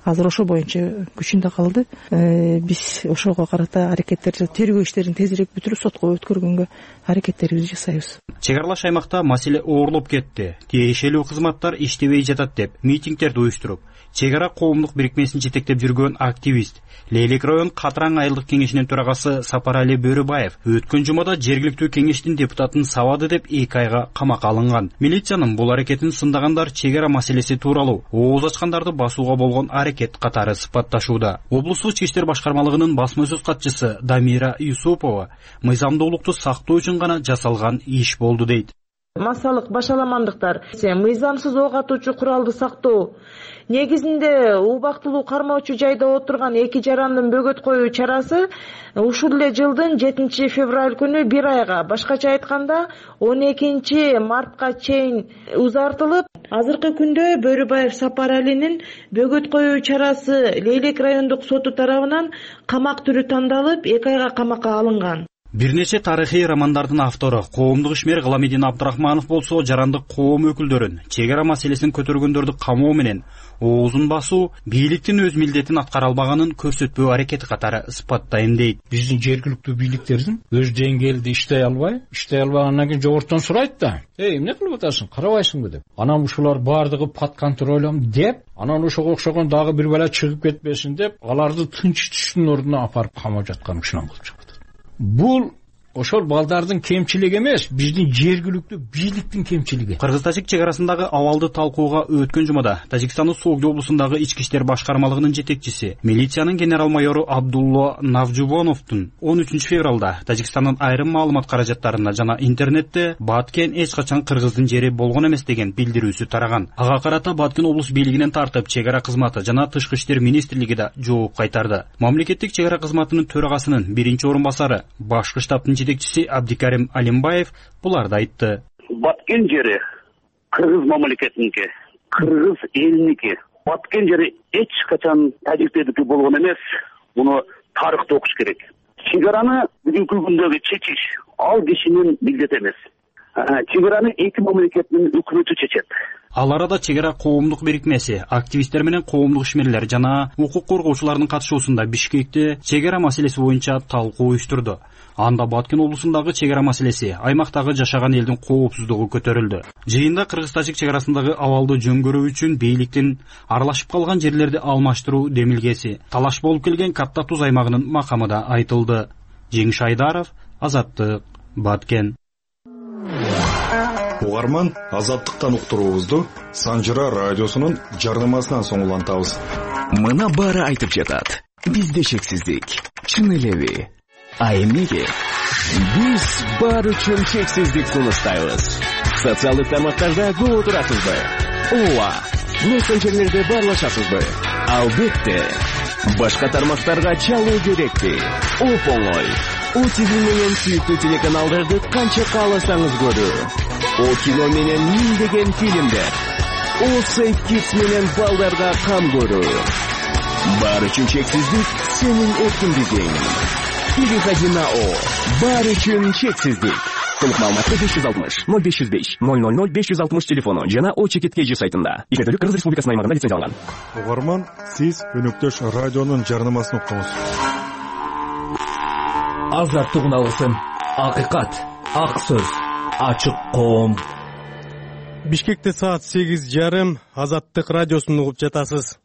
Speaker 19: Азыр ошо боюнча күчүндө калды. Биз ошого карата аракеттер, тергөө иштерин тезирээк бүтүрүп сотко өткөргөнгө аракеттерибизди жасайбыз.
Speaker 18: Чек аралаш аймакта маселе оорлоп кетти. Тиешелүү кызматтар иштебей жатат деп митингдерди уюштуруп, чек ара коомдук бирикмесин жетектеп жүргөн активист Лейлек район Катраң айылдык кеңешинин төрагасы Сапарали Бөрүбаев өткөн жумада жергиликтүү кеңештин депутатын сабады деп 2 айга камакка алынган. Милициянын бул аракетин сындагандар чек ара маселеси тууралуу ооз ачкандарды басууга болгон аракет катары сыпатташууда. Облустук ички иштер башкармалыгынын басма сөз катчысы Дамира Юсупова мыйзамдуулукту сактоо үчүн гана жасалган иш болду дейт.
Speaker 20: Массалык башаламандыктар, мыйзамсыз ок атуучу куралды сактоо негизинде убактылуу кармоочу жайда отурган 2 жарандын бөгөт коюу чарасы ушул эле жылдын 7 февраль күнү 1 айга, башкача айтканда 12 мартка чейин узартылып, азыркы күндө Бөрүбаев Сапаралинин бөгөт коюу чарасы Лейлек райондук соту тарабынан камак түрү тандалып 2 айга камакка алынган.
Speaker 18: Бир нече тарыхый романдардын автору коомдук ишмер Гыламидин Абдрахманов болсо жарандык коом өкүлдөрүн чек ара маселесин көтөргөндөрдү камоо менен оозун басуу бийликтин өз милдетин аткара албаганын көрсөтпөө аракети катары сыпаттайм дейт.
Speaker 21: Биздин жергиликтүү бийликтердин өз деңгээлде иштей албагандан кийин жогорудон сурайт да. Эмне кылып атасың, карабайсыңбы деп. Анан ушулар баардыгы под контролем деп, анан ошого окшогон дагы бир бала чыгып кетпесин деп, аларды тынчытыштын ордуна апарып камап жаткан ушунан болуп чыгат. Бул ошол балдардын кемчилиги эмес, биздин жергиликтүү бийликтин кемчилиги.
Speaker 18: Кыргыз-Тажик чек арасындагы абалды талкууга өткөн жумада Тажикстандын Согду облусундагы ички иштер башкармалыгынын жетекчиси, милициянын генерал-майору Абдулла Навжубоновдун 13 февралда Тажикстандын айрым маалымат каражаттарына жана интернетте Баткен эч качан кыргыздын жери болгон эмес деген билдирүүсү тараган. Ага карата Баткен облус бийлигинен тартып чек ара кызматы жана Тышкы иштер министрлиги да жооп кайтарды. Мамлекеттик чек ара кызматынын төрагасынын 1-орун басары, башкы штабтын жетекчиси Абдикарим Алимбаев буларды айтты.
Speaker 22: Баткен жери кыргыз мамлекетиники, кыргыз элиники. Баткен жери эч качан тажиктердики болгон эмес. Муну тарыхта окуш керек. Чек араны бүгүнкү күндөгү чечиш ал кишинин милдети эмес. Чек араны 2 мамлекеттин өкмөтү чечет.
Speaker 18: Ал арада чек ара коомдук бирикмеси, активисттер менен коомдук ишмерлер жана укук коргоочулардын катышуусунда Бишкекте чек ара маселеси боюнча талкуу уюштурду. Анда Баткен облусундагы чек ара маселеси, аймактагы жашаган элдин коопсуздугу көтөрүлдү. Жыйында Кыргыз-Тажик чек арасындагы абалды жөнгөрүү үчүн бийликтин аралашып калган жерлерди алмаштыруу демилгеси, талаш болуп келген Катта Туз аймагынын макамы да айтылды. Жеңиш Айдаров, Азаттык, Баткен.
Speaker 23: Угарман, Азаттыктан уктуруубузду Санжыра радиосунун жарнамасынан соң улантабыз.
Speaker 24: Мына баары айтып жатат. Бизде чексиздик. Чын элеби? А эмнеге? Биз бар үчүн чексиздик сунуштайбыз. Социалдык тармактарда көп отурасызбы? Ооба. Мессенджерлерде баарлашасызбы? Албетте. Башка тармактарга чалуу керекпи? Оп-оңой. OTV менен сүйүктүү телеканалдарды канча кааласаңыз көрүү. О кино менен миңдеген фильмдер. О Сейф Kids менен балдарга кам көрүү. Баары үчүн чексиздик сенин эркиндигиң. Переходи на О. Баары үчүн чексиздик. Толук маалыматты 560 0505 000 560 телефону жана O-Чекит сайтында. Иштетүүгө Кыргыз Республикасынын аймагында лицензияланган.
Speaker 23: Угарман, сиз өнөктөш радионун жарнамасын уктуңуз.
Speaker 24: Азаттык алгысым, акыйкат, ак сөз, ачык коом.
Speaker 2: Бишкекте саат 8:30 Азаттык радиосун угуп жатасыз.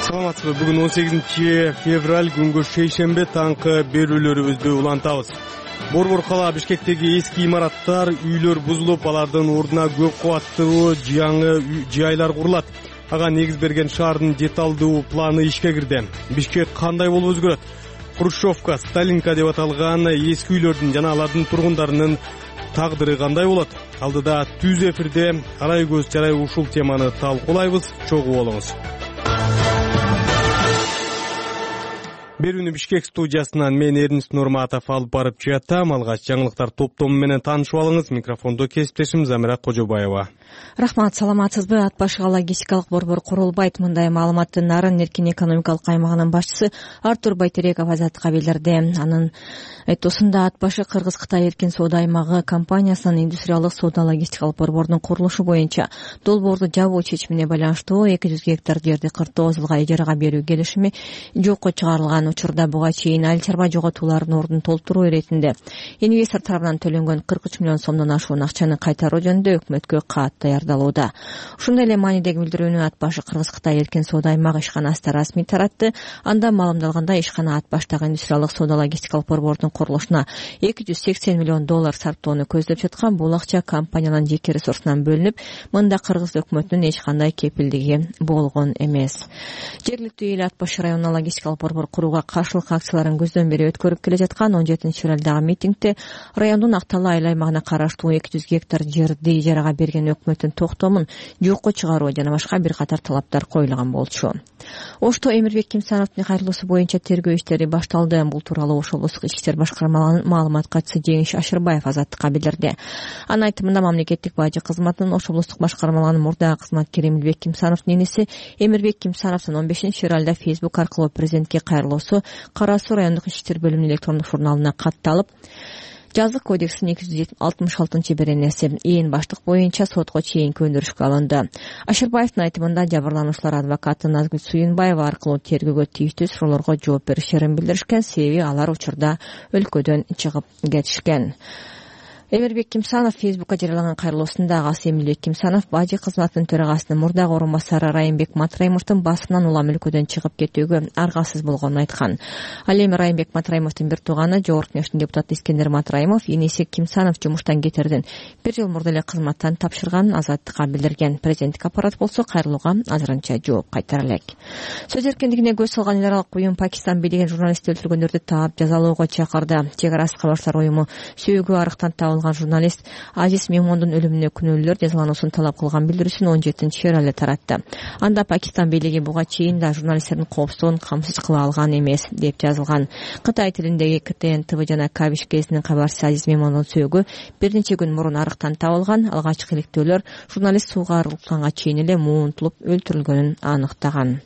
Speaker 2: Саламатсызбы? Бүгүн 18-февраль күнгө шейшембе таңкы берүүлөрүбүздү улантабыз. Борбор кала Бишкектеги эски имараттар, үйлөр бузулуп, алардын ордуна көп кабаттуу жаңы жайлар курулат. Ага негиз берген шаардын деталдуу планы ишке кирди. Бишкек кандай болуп өзгөрөт? Хрущевка, Сталинка деп аталган эски үйлөрдүн жана алардын тургундарынын тагдыры кандай болот? Алдыда түз эфирде арай көз жарай ушул теманы талкуулайбыз. Чогуу болуңуз. Берүүнү Бишкек студиясынан мен Эрнис Нурматов алып барып жатам. Алгач жаңылыктар топтому менен таанышып алыңыз. Микрофондо кесиптешим Замира Кожобаева.
Speaker 1: Рахмат, саламатсызбы? Ат башыга логистикалык борбор курулбайт. Мындай маалыматты Нарын эркин экономикалык аймагынын башчысы Артур Байтереков Азаттыкка билдирди. Анын айтуусунда ат башы Кыргыз-Кытай эркин соода аймагы компаниясынын индустриалдык соода логистикалык борборунун курулушу боюнча долбоорду жабуу чечимине байланыштуу 200 гектар жерди 49 жылга ижарага берүү келишими жокко чыгарылган. Учурда буга чейин айыл чарба жоготуулардын ордун толтуруу иретинде инвестор тарабынан төлөнгөн 43 миллион сомдон ашуун акчаны кайтаруу жөнүндө өкмөткө кат даярдалууда. Ушундай эле маанидеги билдирүүнү ат башы Кыргыз-Кытай эркин соода аймагы ишканасы да расмий таратты. Анда маалымдалгандай, ишкана ат баштагы индустриалдык соода логистикалык борбордун курулушуна $280 миллион сарптоону көздөп жаткан. Бул акча компаниянын жеке ресурсунан бөлүнүп, мында Кыргыз өкмөтүнүн эч кандай кепилдиги болгон эмес. Жергиликтүү эл ат башы районуна логистикалык борбор курууга каршылык акцияларын көздөн бери өткөрүп келе жаткан. 17-февралдагы митингде райондун Акталы айыл аймагына караштуу 200 гектар жерди ижарага берген өкмөттүн токтомун жокко чыгаруу жана башка бир катар талаптар коюлган болчу. Ошто Эмирбек Кимсановдун кайрылуусу боюнча тергөө иштери башталды. Бул тууралуу Ош облустук ички иштер башкармалыгынын маалымат катчысы Жеңиш Ашырбаев Азаттыкка билдирди. Анын айтымында мамлекеттик бажы кызматынын Ош облустук башкармалыгынын мурдагы кызматкери Эмирбек Кимсановдун энеси Эмирбек Кимсановдун 15-февралда Facebook аркылуу президентке кайрылуусу Кара Суу райондук ички иштер бөлүмүнүн электрондук журналына катталып, Жазык кодексинин 266-беренеси ээн баштык боюнча сотко чейинки өндүрүшкө алынды. Ашырбаевдин айтымында жабырлануучулар адвокаты Назгүл Суюнбаева аркылуу тергөөгө тийиштүү суроолорго жооп беришерин билдиришкен, себеби алар учурда өлкөдөн чыгып кетишкен. Эмирбек Кимсанов Фейсбукка жарыялаган кайрылуусунда агасы Эмилбек Кимсанов бажы кызматынын төрагасынын мурдагы орун басары Райымбек Матраимовдун басымынан улам өлкөдөн чыгып кетүүгө аргасыз болгонун айткан. Ал эми Райымбек Матраимовдун бир тууганы Жогорку Кеңештин депутаты Искендер Матраимов энеси Кимсанов жумуштан кетерден 1 жыл мурда эле кызматтан тапшырганын Азаттыкка билдирген. Президенттик аппарат болсо кайрылууга азырынча жооп кайтара элек. Сөз эркиндигине көз салган эл аралык уюм Пакистан бийлеген журналистти өлтүргөндөрдү таап жазалоого чакырды. Чек арасы кабарчылар уюму сөөгү арыктан табылган журналист Азиз Мемондун өлүмүнө күнөөлүүлөр жазалануусун талап кылган билдирүүсүн 17-февралда таратты. Анда Пакистан бийлиги буга чейин да журналисттердин коопсуздугун камсыз кыла алган эмес деп жазылган. Кытай тилиндеги КТН ТВ жана Кабиш гезитинин кабарчысы Азиз Мемондун сөөгү бир нече күн мурун арыктан табылган. Алгачкы иликтөөлөр журналист сууга арылганга чейин эле муунтулуп өлтүрүлгөнүн аныктаган.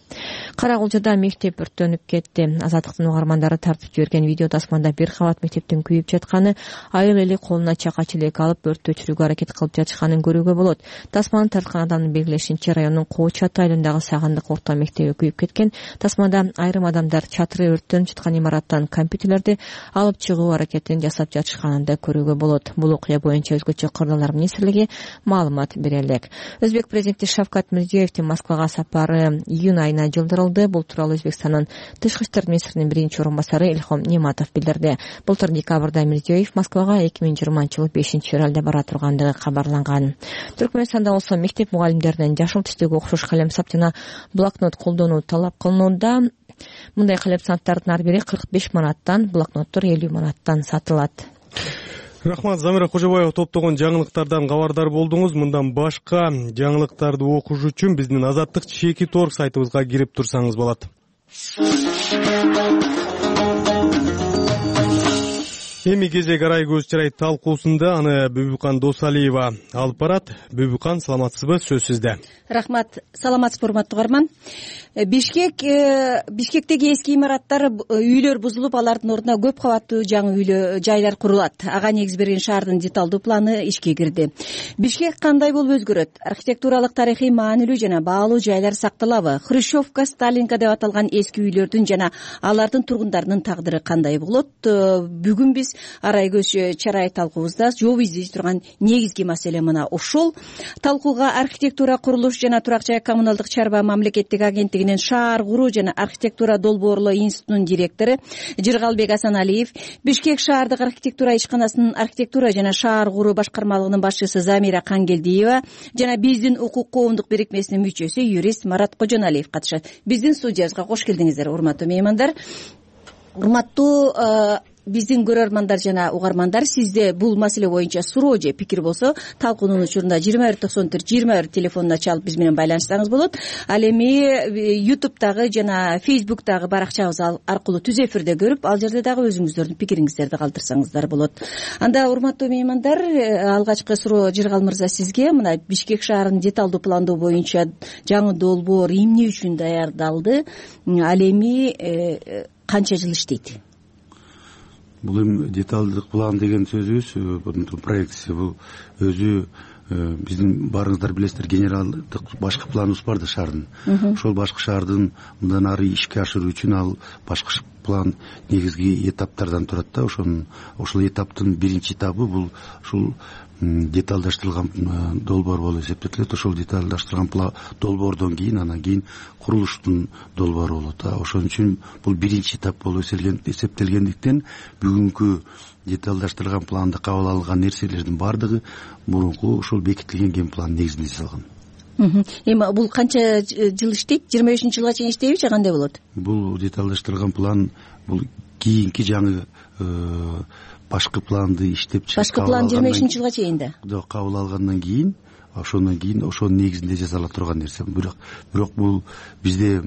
Speaker 1: Карагулжада мектеп өрттөнүп кетти. Азаттыктын угармандары тартып жиберген видео тасманда бир кабат мектептин күйүп жатканы, айыл эли колуна чака челек алып өрттү өчүрүүгө аракет кылып жатышканын көрүүгө болот. Тасманы тарткан адамдын белгилешинче райондун Коочат айылындагы Сагындык орто мектеби күйүп кеткен. Тасмада айрым адамдар чатыры өрттөнүп жаткан имараттан компьютерлерди алып чыгуу аракетин жасап жатышканын да көрүүгө болот. Бул окуя боюнча өзгөчө кырдаалар министрлиги маалымат бере элек. Өзбек президенти Шавкат Мирзиёевдин Москвага сапары июнь айына жылдырылды. Бул тууралуу Өзбекстандын тышкы иштер министринин биринчи орун басары Илхом Нематов билдирди. Былтыр декабрда Мирзиёев Москвага 2020-жылы 5-февралда бара тургандыгы кабарланган. Түркмөнстанда болсо мектеп мугалимдеринен жашыл түстөгү окшош калемсап жана блокнот колдонуу талап кылынууда. Мындай калемсаптардын ар бири 45 манаттан, блокноттор 50 манаттан сатылат.
Speaker 2: Рахмат. Замира Кожобаева топтогон жаңылыктардан кабардар болдуңуз. Мындан башка жаңылыктарды окуш үчүн биздин Азаттык /org сайтыбызга кирип турсаңыз болот. Эми кезек арай көз чырай талкуусунда аны Бүбүкан Досалиева алып барат. Бүбүкан, саламатсызбы? Сөз сизде.
Speaker 6: Рахмат. Саламатсызбы, урматтуу угарман. Бишкектеги эски имараттар, үйлөр бузулуп, алардын ордуна көп кабаттуу жаңы жайлар курулат. Ага негиз берген шаардын деталдуу планы ишке кирди. Бишкек кандай болуп өзгөрөт? Архитектуралык тарыхый маанилүү жана баалуу жайлар сакталабы? Хрущевка, Сталинка деп аталган эски үйлөрдүн жана алардын тургундарынын тагдыры кандай болот? Бүгүн биз арай көз чырай талкуубузда жооп издей турган негизги маселе мына ушул. Талкууга архитектура, курулуш жана турак жай коммуналдык чарба мамлекеттик агенттигинин шаар куруу жана архитектура долбоорлоо институтунун директору Жыргалбек Асаналиев, Бишкек шаардык архитектура ишканасынын архитектура жана шаар куруу башкармалыгынын башчысы Замира Кангелдиева жана биздин укук коомдук бирикмесинин мүчөсү юрист Марат Кожоналиев катышат. Биздин студиябызга кош келдиңиздер, урматтуу меймандар. Урматтуу биздин көрөрмандар жана угармандар, сизде бул маселе боюнча суроо же пикир болсо, талкуунун учурунда 2194-21 телефонуна чалып биз менен байланышсаңыз болот. Ал эми YouTube'дагы жана Facebook'дагы баракчабыз аркылуу түз эфирде көрүп, ал жерде дагы өзүңүздөрдүн пикириңиздерди калтырсаңыздар болот. Анда урматтуу меймандар, алгачкы суроо Жыргал мырза сизге. Мына Бишкек шаарынын деталдуу пландоо боюнча жаңы долбоор эмне үчүн даярдалды? Ал эми канча жыл иштейт?
Speaker 7: Бул эми деталдык план деген сөзүбүз, бунун проектиси бул өзү биздин баарыңыздар билесиздер, генералдык башкы планыбыз бар да шаардын. Ошол башкы шаардын мындан ары ишке ашыруу үчүн ал башкы план негизги этаптардан турат да. Ошол этаптын биринчи этабы бул ушул деталдаштырылган долбоор болуп эсептелет. Ошол деталдаштырылган долбоордон кийин анан кийин курулуштун долбоору болот. Ошон үчүн бул биринчи этап болуп эсептелгендиктен бүгүнкү деталдаштырылган планда кабыл алынган нерселердин баардыгы мурунку ошол бекитилген ген план негизинде жасалган.
Speaker 6: Эми бул канча жыл иштейт? 25-жылга чейин иштейби же кандай болот?
Speaker 7: Бул деталдаштырылган план бул кийинки жаңы башкы планды иштеп чыгып,
Speaker 6: башкы план 25-жылга чейин да
Speaker 7: кабыл алгандан кийин, ошондон кийин ошонун негизинде жасала турган нерсе. Бирок бул бизде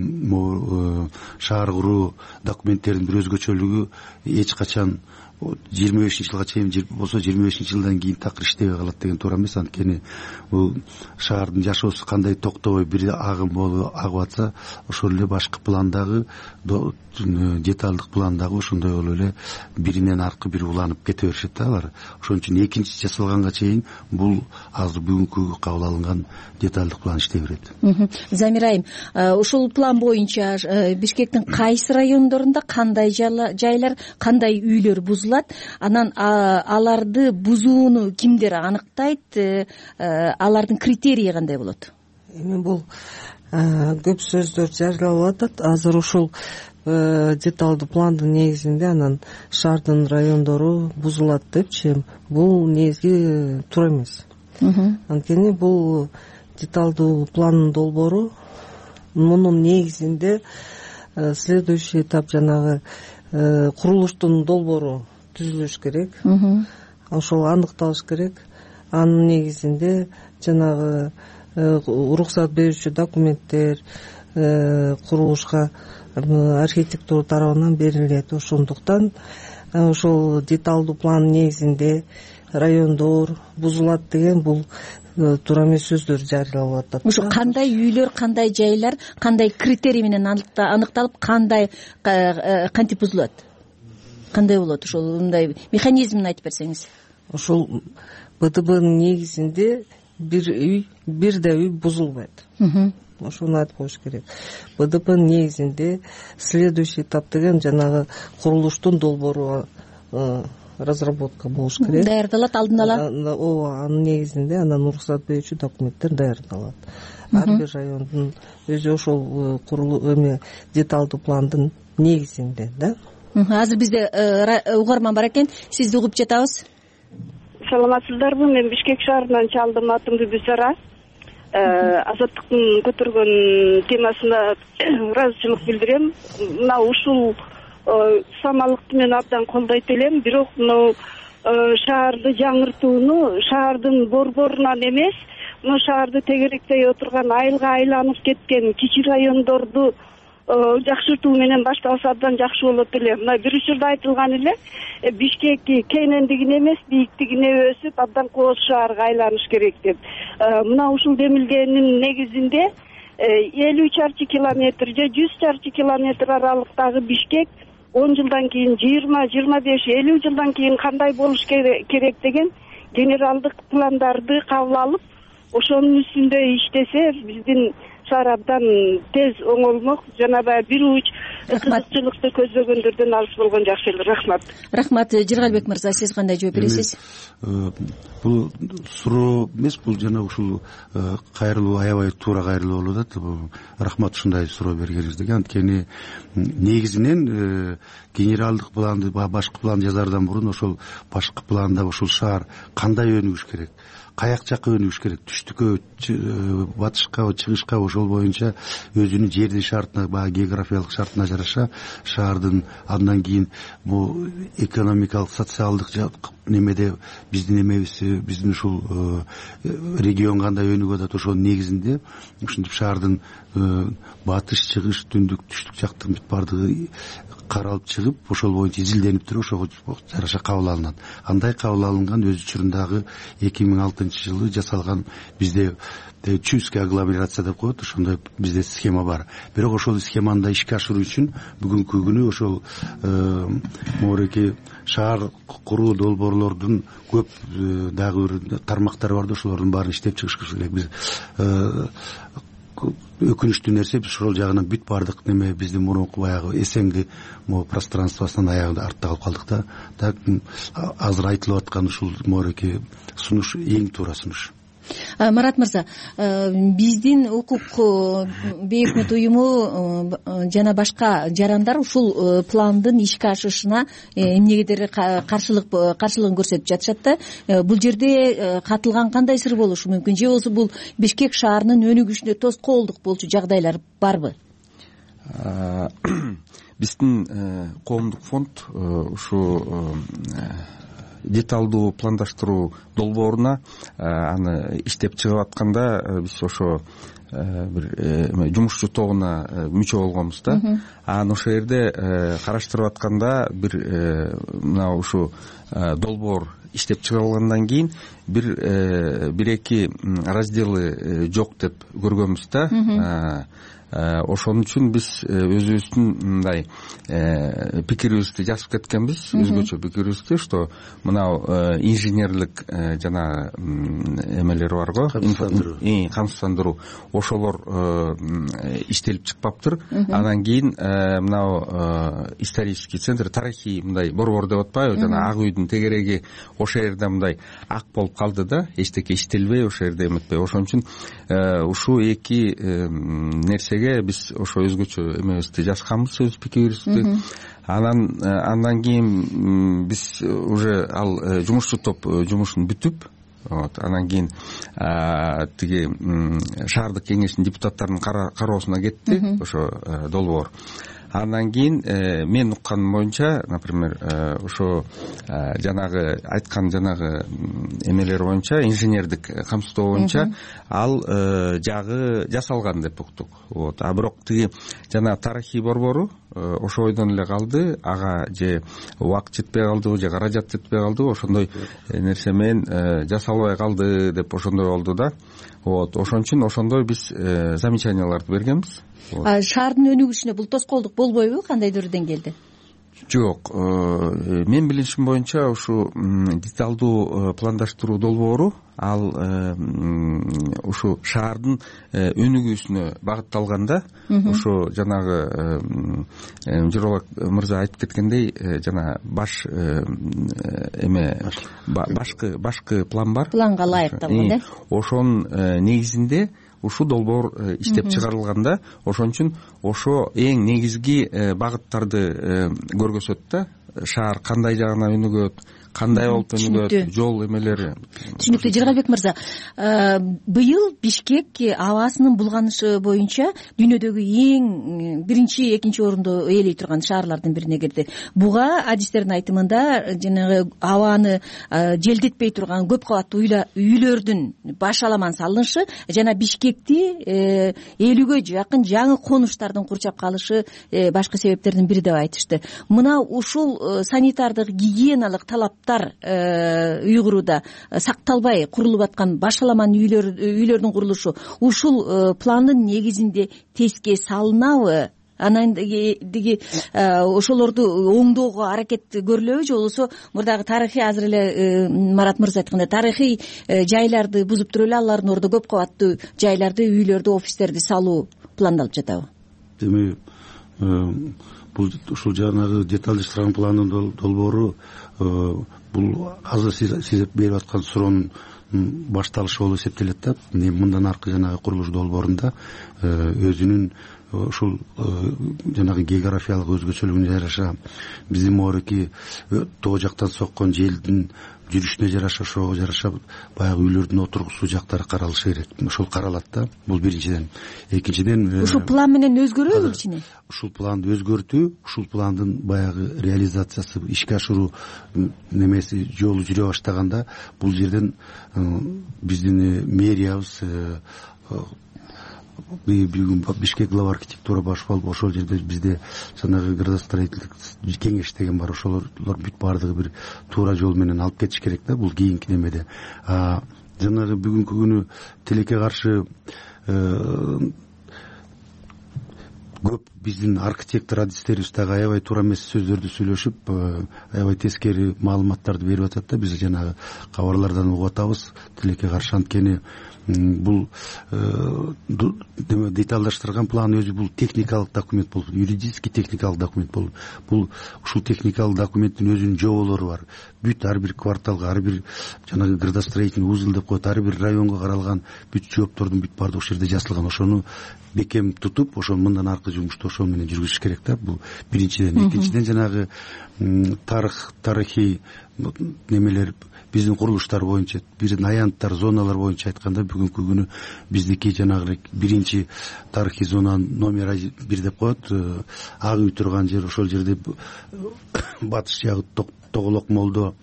Speaker 7: шаар куруу документтеринин бир өзгөчөлүгү эч качан 25-жылга чейин болсо 25-жылдан кийин такыр иштебей калат деген туура эмес. Анткени бул шаардын жашоосу кандай токтобой бир агым болуп агып атса, ошол эле башкы пландагы деталдык пландагы ошондой болуп эле биринен аркы бири уланып кете беришет да алар. Ошон үчүн экинчиси жасалганга чейин бул азыр бүгүнкү кабыл алынган деталдык план иштей берет.
Speaker 6: Замир айым, ушул план боюнча Бишкектин кайсы райондорунда кандай жайлар, кандай үйлөр бузулат, анан аларды бузууну кимдер аныктайт, алардын критерийи кандай болот?
Speaker 19: Эми бул көп сөздөр жарыялап атат. Азыр ушул деталдуу пландын негизинде анан шаардын райондору бузулат депчи, бул негизги туура эмес. Анткени бул деталдуу пландын долбоору мунун негизинде следующий этап жанагы курулуштун долбоору түзүлүш керек. Ошол аныкталыш керек. Анын негизинде жанагы уруксат берүүчү документтер курулушка архитектура тарабынан берилет. Ошондуктан ошол деталдуу план негизинде райондор бузулат деген бул туура эмес сөздөр жарыялап атат.
Speaker 6: Ушу кандай үйлөр, кандай жайлар, кандай критерий менен аныкталып, кандай кантип бузулат? Кандай болот? Ошол мындай механизмин айтып берсеңиз.
Speaker 19: Ошол БТБнын негизинде бир да үй бузулбайт. Ошону айтып коюш керек. БТБнын негизинде следующий этап деген жанагы курулуштун долбоору разработка болуш керек.
Speaker 6: Даярдалат алдын ала.
Speaker 19: Ооба, анын негизинде анан уруксат берүүчү документтер даярдалат. Ар бир райондун өзү ошол эме деталдуу пландын негизинде да.
Speaker 6: Азыр бизде угарман бар экен, сизди угуп жатабыз.
Speaker 9: Саламатсыздарбы? Мен Бишкек шаарынан чалдым, атым Бүбүсара. Азаттыктын көтөргөн темасына ыраазычылык билдирем. Мына ушул самалыкты мен абдан колдойт элем, бирок мына шаарды жаңыртууну шаардын борборунан эмес, мына шаарды тегеректей отурган айылга айланып кеткен кичи райондорду жакшыртуу менен башталса абдан жакшы болот эле. Мына бир учурда айтылган эле, Бишкек кенендигине эмес, бийиктигине өсүп, абдан кооз шаарга айланыш керек деп. Мына ушул демилгенин негизинде 50 чарчы километр же 100 чарчы километр аралыктагы Бишкек 10 жылдан кийин 20, 25, 50 жылдан кийин кандай болуш керек деген генералдык пландарды кабыл алып, ошонун үстүндө иштесе, биздин шаар абдан тез оңолмок. Жана баягы бир уч кызыкчылыкты көзбөгөндөрдөн алыс болгон жакшы эле. Рахмат.
Speaker 6: Рахмат. Жыргалбек мырза, сиз кандай жооп бересиз?
Speaker 7: Бул суроо эмес, бул жана ушул кайрылуу, аябай туура кайрылуу болуп атат. Рахмат ушундай суроо бергениңизге. Анткени негизинен генералдык планды, башкы план жазардан мурун ошол башкы планда ушул шаар кандай өнүгүш керек, каяк жакка өнүгүш керек, түштүккө, батышка, чыгышка, ошол боюнча өзүнүн жердин шартына, баягы географиялык шартына жараша шаардын андан кийин бул экономикалык, социалдык немеде биздин эмебизди, биздин ушул регион кандай өнүгүп атат, ошонун негизинде ушинтип шаардын батыш, чыгыш, түндүк, түштүк жактын бүт баардыгы каралып чыгып, ошол боюнча изилденип туруп, ошого жараша кабыл алынат. Андай кабыл алынган өз учурундагы 2006-жылы жасалган бизде чуйская агломерация деп коет, ошондой бизде схема бар. Бирок ошол схеманы да ишке ашыруу үчүн бүгүнкү күнү ошол моореки шаар куруу долбоорлордун көп дагы бир тармактары бар да, ошолордун баарын иштеп чыгыш керек. Биз өкүнүчтүү нерсе, биз ошол жагынан бүт баардык неме биздин мурунку баягы СНГ пространствосунан аягында артта калып калдык да. Так азыр айтылып аткан ушул моореки сунуш эң туура сунуш.
Speaker 6: Марат мырза, биздин укук бейөкмөт уюму жана башка жарандар ушул пландын ишке ашышына эмнегедир каршылыгын көрсөтүп жатышат да. Бул жерде катылган кандай сыр болушу мүмкүн? Же болбосо бул Бишкек шаарынын өнүгүшүнө тоскоолдук болчу жагдайлар барбы?
Speaker 3: Биздин коомдук фонд ушу деталдуу пландаштыруу долбооруна аны иштеп чыгып атканда биз ошо бир жумушчу тобуна мүчө болгонбуз да. Анан ошол жерде караштырып атканда мына ушу долбоор иштеп чыгарылгандан кийин бир эки разделы жок деп көргөнбүз да. Ошон үчүн биз өзүбүздүн мындай пикирибизди жазып кеткенбиз, өзгөчө пикирибизди, что мынау инженерлик жана эмелер барго, камсыздандыруу ошолор иштелип чыкпаптыр. Андан кийин мынау исторический центр, тарыхый мындай борбор деп атпайбы, жана Ак үйдүн тегереги ошол жерде мындай ак болуп калды да, эчтеке иштелбей ошол жерде эметпей. Ошон үчүн ушул эки нерсе биз ошо өзгөчө эмебизди жазганбыз, өз пикирибизди. Андан кийин биз уже ал жумушчу топ жумушун бүтүп, анан кийин тиги шаардык кеңештин депутаттарынын кароосуна кетти ошо долбоор. Андан кийин мен укканым боюнча, например, ошо жанагы айткан жанагы эмелер боюнча, инженердик камсыздоо боюнча ал жагы жасалган деп уктук. А бирок тиги жана тарыхый борбору ошо ойдон эле калды, ага же убакыт жетпей калдыбы, же каражат жетпей калдыбы, ошондой нерсе менен жасалбай калды деп ошондой болду да. Ошон үчүн ошондой биз замечанияларды бергенбиз.
Speaker 6: Шаардын өнүгүшүнө бул тоскоолдук болбойбу, кандайдыр деңгээлде?
Speaker 3: Жок, мен билишим боюнча ушу деталдуу пландаштыруу долбоору ал ушу шаардын өнүгүүсүнө багытталган да. Ошо жанагы Жыргалбек мырза айтып кеткендей, жана баш башкы план бар.
Speaker 6: Планга ылайыкталган да.
Speaker 3: Ошонун негизинде ушул долбоор иштеп чыгарылганда, ошон үчүн ошо эң негизги багыттарды көргөзөт да. Шаар кандай жагына өнүгөт, кандай болуп өнүгөт, жол эмелери.
Speaker 6: Түшүнүктүү. Жыргалбек мырза, быйыл Бишкек абасынын булганышы боюнча дүйнөдөгү эң биринчи, экинчи орунду ээлей турган шаарлардын бирине кирди. Буга адистердин айтымында жанагы абаны желдетпей турган көп кабаттуу үйлөрдүн башаламан салынышы жана Бишкекти 50-гө жакын жаңы конуштардын курчап калышы башкы себептердин бири деп айтышты. Мына ушул санитардык гигиеналык талаптар уйгуруда сакталбай курулуп аткан башаламан үйлөрдүн курулушу ушул пландын негизинде теске салынабы? Анан ошолорду оңдоого аракет көрүлөбү же болбосо мурдагы тарыхый, азыр эле Марат мырза айткандай тарыхый жайларды бузуп туруп эле алардын ордо көп кабаттуу жайларды, үйлөрдү, офистерди салуу пландалып жатабы?
Speaker 7: Эми бул ушул жанагы деталдештирилген пландын долбоору бул азыр сиз берип аткан суроонун башталышы болуп эсептелет да. Мындан аркы жанагы курулуш долбоорунда өзүнүн ушул жанагы географиялык өзгөчөлүгүнө жараша биздин моореки тоо жактан соккон желдин жүрүшүнө жараша, ошого жараша баягы үйлөрдүн отургусуу жактары каралышы керек. Ошол каралат да. Бул биринчиден. Экинчиден
Speaker 6: ушул план менен өзгөрөбү кичине? Ушул
Speaker 7: планды өзгөртүү, ушул пландын баягы реализациясы, ишке ашыруу немеси жолу жүрө баштаганда бул жерден биздин мэриябыз бүгүн Бишкек глава архитектура баш болуп ошол жерде бизде жанагы градостроительдик кеңеш деген бар. Ошолор бүт баардыгы бир туура жол менен алып кетиш керек да. Бул кийинки немеде. Жанагы бүгүнкү күнү тилекке каршы көп биздин архитектор адистерибиз дагы аябай туура эмес сөздөрдү сүйлөшүп, аябай тескери маалыматтарды берип атат да. Биз жанагы кабарлардан угуп атабыз тилекке каршы. Анткени бул деталдаштырган план өзү бул техникалык документ болуп, юридический техникалык документ болуп, бул ушул техникалык документтин өзүнүн жоболору бар. Бүт ар бир кварталга, ар бир жанагы градостроительный узел деп коет, ар бир районго каралган бүт жооптордун бүт баардыгы ошол жерде жазылган. Ошону бекем тутуп, ошол мындан аркы жумушту ошол менен жүргүзүш керек да. Бул биринчиден. Экинчиден жанагы тарыхый немелер биздин курулуштар боюнча, биздин аянттар, зоналар боюнча айтканда бүгүнкү күнү биздики жанагы биринчи тарыхый зона номер 1 деп коет. Ак үй турган жер, ошол жерде батыш жагы Тоголок молдо,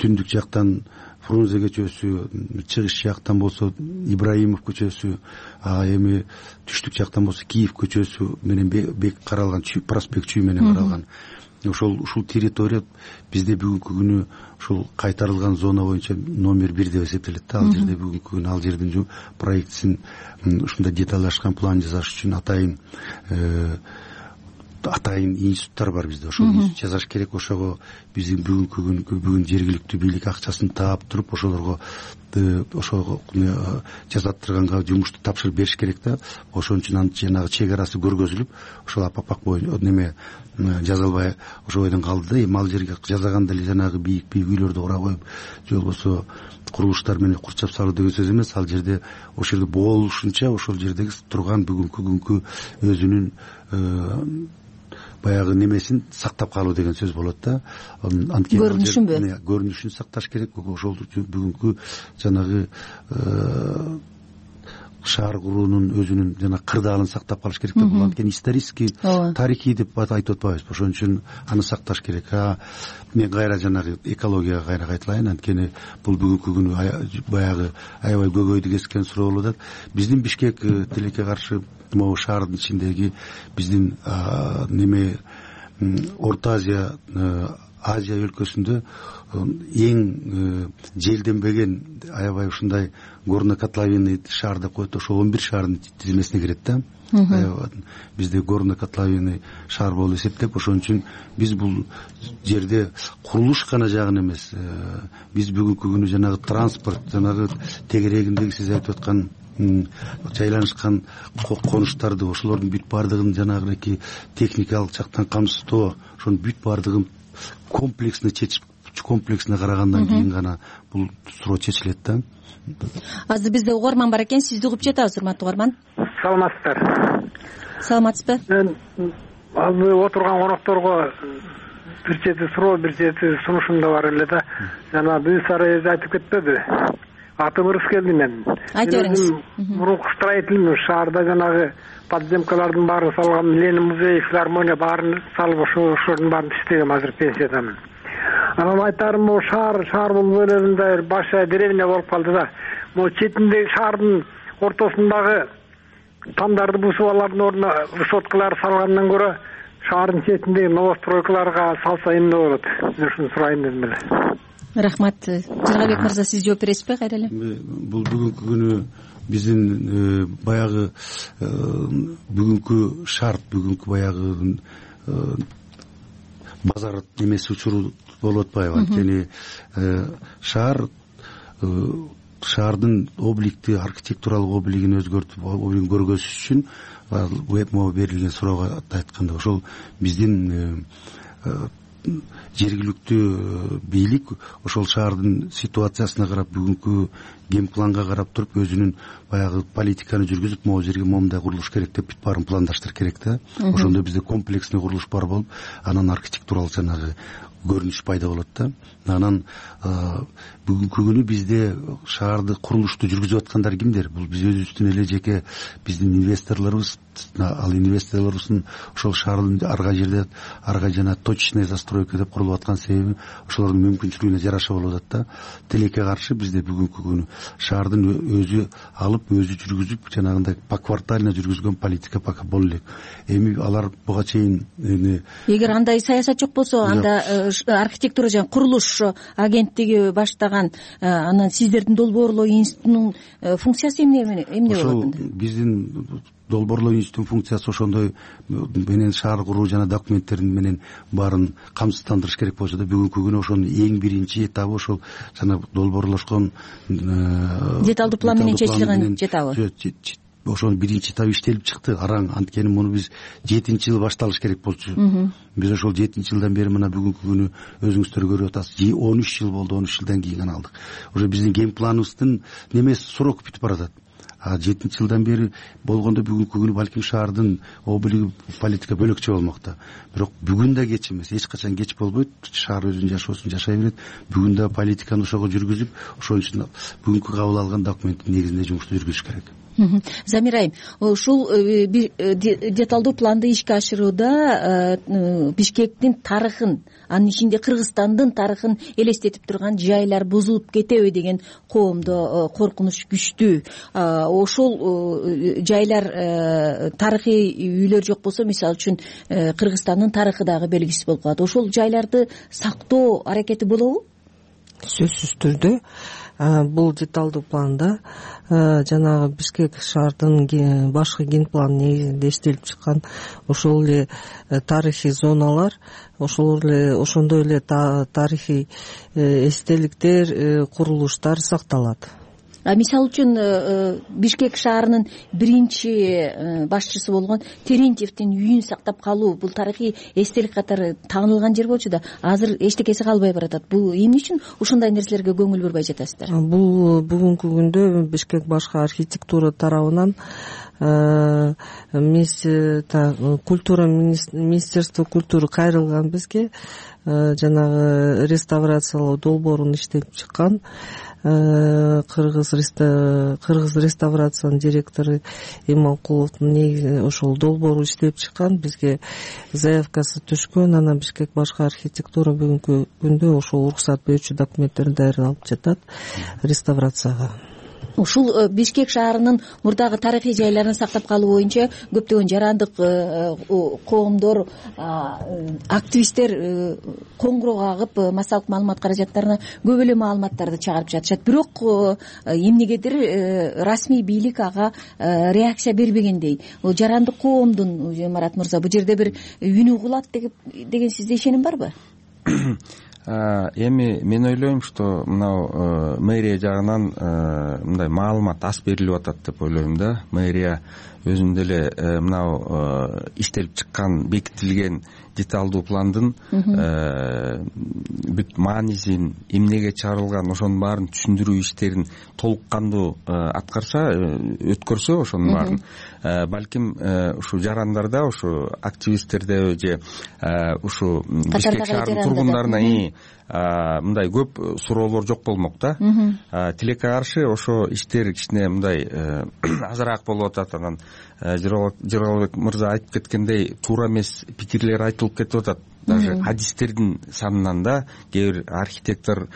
Speaker 7: түндүк жактан Фрунзе көчөсү, чыгыш жактан болсо Ибраимов көчөсү, эми түштүк жактан болсо Киев көчөсү менен бек каралган, проспект Чүй менен каралган. Ушул территория бизде бүгүнкү күнү ушул кайтарылган зона боюнча номер 1 деп эсептелет да. Ал жерде бүгүнкү күнү ал жердин проектисин ушундай деталдашкан план жасаш үчүн атайын институттар бар бизде. Ошол жасаш керек. Ошого биздин бүгүн жергиликтүү бийлик акчасын таап туруп ошолорго жасаттырганга жумушту тапшырып бериш керек да. Ошон үчүн жанагы чек арасы көргөзүлүп, ошол апапак боюнча неме жазалбай ошол бойдон калды да. Эми ал жерге жасаганда эле жанагы бийик үйлөрдү кура коюп, же болбосо курулуштар менен курчап салуу деген сөз эмес. Ал жерде ошол жерде болушунча ошол жердеги турган бүгүнкү күнгү өзүнүн баягы немесин сактап калуу деген сөз болот да.
Speaker 6: Көрүнүшүнбү?
Speaker 7: Көрүнүшүн сакташ керек. Ошол бүгүнкү жанагы шаар куруунун өзүнүн жана кырдаалын сактап калыш керек деп. Бул анткени исторический, тарыхый деп айтып атпайбызбы. Ошон үчүн аны сакташ керек. Мен кайра жанагы экологияга кайра кайталайын. Анткени бул бүгүнкү күнү баягы аябай көбөйдү кескен суроо болуп атат. Биздин Бишкек тилекке каршы могу шаардын ичиндеги биздин неме Орто Азия, Азия өлкөсүндө эң желденбеген аябай ушундай горно-котловинный шаар деп коет. Ошол 11 шаардын тизмесине кирет да. Бизде горно-котловинный шаар болуп эсептеп, ошон үчүн биз бул жерде курулуш гана жагын эмес, биз бүгүнкү күнү жанагы транспорт, жанагы тегерегиндеги сиз айтып аткан жайланышкан конуштарды, ошолордун бүт баардыгын жанагы техникалык жактан камсыздоо, ошонун бүт баардыгын комплексно карагандан кийин гана бул суроо чечилет да.
Speaker 6: Азыр бизде угарман бар экен, сизди угуп жатабыз, урматтуу угарман.
Speaker 8: Саламатсыздар.
Speaker 6: Саламатсызбы?
Speaker 8: Мен азыр отурган конокторго бир чети суроо бир чети сунушум да бар эле да. Жана Бүйсара эже айтып кетпеди. Атым Рыскелди мен.
Speaker 6: Айта бериңиз.
Speaker 8: Мурунку строительный шаарда жанагы подземкалардын баарын салган, Ленин музей, филармония баарын салып ошонун баарын иштегем, азыр пенсиядамын. Анан айтарым, могу шаар болуп элебинде башка деревня болуп калды да. Могу четиндеги шаардын ортосундагы тамдарды бусуп алардын ордуна высоткалар салгандан көрө шаардын четиндеги новостройкаларга салса эмне болот? Мен ушуну сурайын дедим эле.
Speaker 6: Рахмат. Жыргабек мырза, сиз жооп бересизби кайра эле?
Speaker 7: Бул бүгүнкү күнү биздин баягы бүгүнкү шарт, бүгүнкү баягы базар немеси учуру болуп атпайбы? Анткени шаардын обликти, архитектуралык облигин өзгөртүп, облигин көргөзүш үчүн могу берилген суроого айтканда ошол биздин жергиликтүү бийлик ошол шаардын ситуациясына карап, бүгүнкү генпланга карап туруп өзүнүн баягы политиканы жүргүзүп, могу жерге момундай курулуш керек деп бүт баарын пландаштырыш керек да. Ошондо бизде комплексный курулуш бар болуп, анан архитектуралык жанагы көрүнүш пайда болот да. Анан бүгүнкү күнү бизде шаарды курулушту жүргүзүп аткандар кимдер? Бул биз өзүбүздүн эле жеке биздин инвесторлорубуз. Ал инвесторлорубуздун ошол шаардын арга жерде жана точечная застройка деп курулуп аткан себеби ошолордун мүмкүнчүлүгүнө жараша болуп атат да. Тилекке каршы бизде бүгүнкү күнү шаардын өзү алып, өзү жүргүзүп, жанагындай поквартально жүргүзгөн политика пока боло элек. Эми алар буга чейин
Speaker 6: эгер андай саясат жок болсо, анда архитектура жана курулуш агенттиги баштаган анан сиздердин долбоорлоо институтунун функциясы эмне болот?
Speaker 7: Ошол биздин долбоорлоо институтунун функциясы ошондой менен шаар куруу жана документтерин менен баарын камсыздандырыш керек болсо да, бүгүнкү күнү ошонун эң биринчи этабы ошол жана долбоорлошкон
Speaker 6: деталдуу план менен чечилген этабы.
Speaker 7: Ошонун биринчи этабы иштелип чыкты, араң. Анткени муну биз 7-жылы башталыш керек болчу. Биз ошол 7-жылдан бери мына бүгүнкү күнү өзүңүздөр көрүп атасыз, 13 жыл болду, 13 жылдан кийин гана алдык. Уже биздин ген планыбыздын немеси срок бүтүп баратат. 7 жылдан бери болгондо бүгүнкү күнү балким шаардын облиги политика бөлөкчө болмок да. Бирок бүгүн да кеч эмес, эч качан кеч болбойт. Шаар өзүнүн жашоосун жашай берет. Бүгүн да политиканы ошого жүргүзүп, ошон үчүн бүгүнкү кабыл алган документтин негизинде жумушту жүргүзүш керек.
Speaker 6: Замира айым, ушул деталдуу планды ишке ашырууда Бишкектин тарыхын, анын ичинде Кыргызстандын тарыхын элестетип турган жайлар бузулуп кетеби деген коомдо коркунуч күчтүү. Ошол жайлар, тарыхый үйлөр жок болсо, мисалы үчүн Кыргызстандын тарыхы дагы белгисиз болуп калат. Ошол жайларды сактоо аракети болобу?
Speaker 19: Сөзсүз түрдө бул деталдуу планда жанагы Бишкек шаардын башкы ген планы негизинде иштелип чыккан ошол эле тарыхый зоналар, ошондой эле тарыхый эстеликтер, курулуштар сакталат.
Speaker 6: Мисалы үчүн Бишкек шаарынын биринчи башчысы болгон Терентьевдин үйүн сактап калуу бул тарыхый эстелик катары таанылган жер болчу да, азыр эчтекеси калбай баратат. Бул эмне үчүн ушундай нерселерге көңүл бурбай жатасыздар?
Speaker 19: Бул бүгүнкү күндө Бишкек башкы архитектура тарабынан культура министерство культуры кайрылган бизге жанагы реставрациялоо долбоорун иштелип чыккан. Кыргыз реставрациянын директору Иманкуловдун негизи ошол долбоору иштелип чыккан, бизге заявкасы түшкөн. Анан Бишкек башкы архитектура бүгүнкү күндө ошол уруксат берүүчү документтерин даярдалып жатат реставрацияга.
Speaker 6: Ушул Бишкек шаарынын мурдагы тарыхый жайларын сактап калуу боюнча көптөгөн жарандык коомдор, активисттер коңгуроо кагып, массалык маалымат каражаттарына көп эле маалыматтарды чыгарып жатышат. Бирок эмнегедир расмий бийлик ага реакция бербегендей. Жарандык коомдун, Марат мырза, бул жерде бир үнү угулат деген сизде ишеним барбы?
Speaker 3: Эми мен ойлойм, что мынау мэрия жагынан мындай маалымат аз берилип атат деп ойлойм да. Мэрия өзүндө эле мынау иштелип чыккан, бекитилген деталдуу пландын бүт маанисин, эмнеге чыгарылган, ошонун баарын түшүндүрүү иштерин толук кандуу аткарса, өткөрсө ошонун баарын, балким ушу жарандарда, ушу активисттерде же ушу Бишкек шаарынын тургундарына мындай көп суроолор жок болмок да. Тилекке каршы ошо иштер кичине мындай азыраак болуп атат. Анан Жыргалбек мырза айтып кеткендей, туура эмес пикирлер айтылып кетип атат. Даже хадистердин санынан да кээ бир архитектор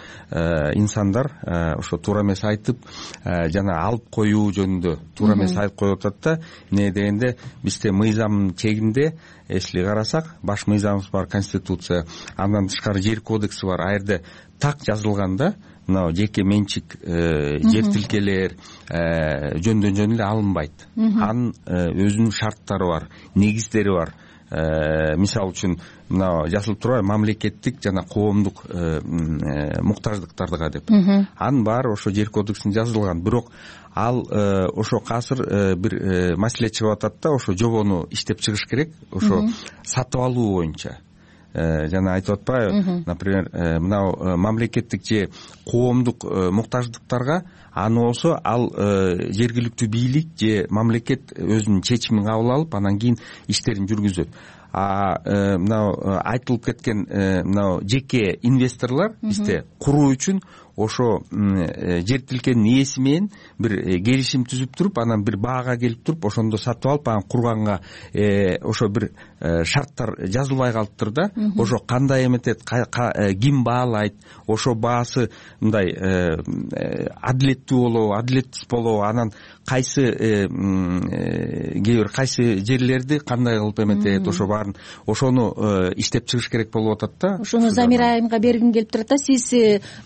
Speaker 3: инсандар ошо туура эмес айтып, жана алып коюу жөнүндө туура эмес айтып коюп атат да. Эмне дегенде, бизде мыйзамдын чегинде, если карасак, баш мыйзамыбыз бар, конституция, андан тышкары жер кодекси бар. А жерде так жазылган да, мына жеке менчик жер тилкелер жөндөн жөн эле алынбайт. Анын өзүнүн шарттары бар, негиздери бар. Мисалы үчүн мына жазылып турбайбы, мамлекеттик жана коомдук муктаждыктарга деп. Анын баары ошо жер кодексинде жазылган. Бирок ал ошо азыр бир маселе чыгып атат да, ошо жобону иштеп чыгыш керек, ошо сатып алуу боюнча. Жана айтып атпайбы, например, мынау мамлекеттик же коомдук муктаждыктарга аны болсо ал жергиликтүү бийлик же мамлекет өзүнүн чечимин кабыл алып, анан кийин иштерин жүргүзөт. Мынау айтылып кеткен мынау жеке инвесторлор бизде куруу үчүн ошо жер тилкенин ээси менен бир келишим түзүп туруп, анан бир баага келип туруп, ошондо сатып алып, анан курганга ошо бир шарттар жазылбай калыптыр да. Ошо кандай эметет, ким баалайт, ошо баасы мындай адилеттүү болобу, адилетсиз болобу, анан кайсы кээ бир кайсы жерлерди кандай кылып эметет, ошо баарын ошону иштеп чыгыш керек болуп атат да.
Speaker 6: Ошону Замира айымга бергим келип турат да. Сиз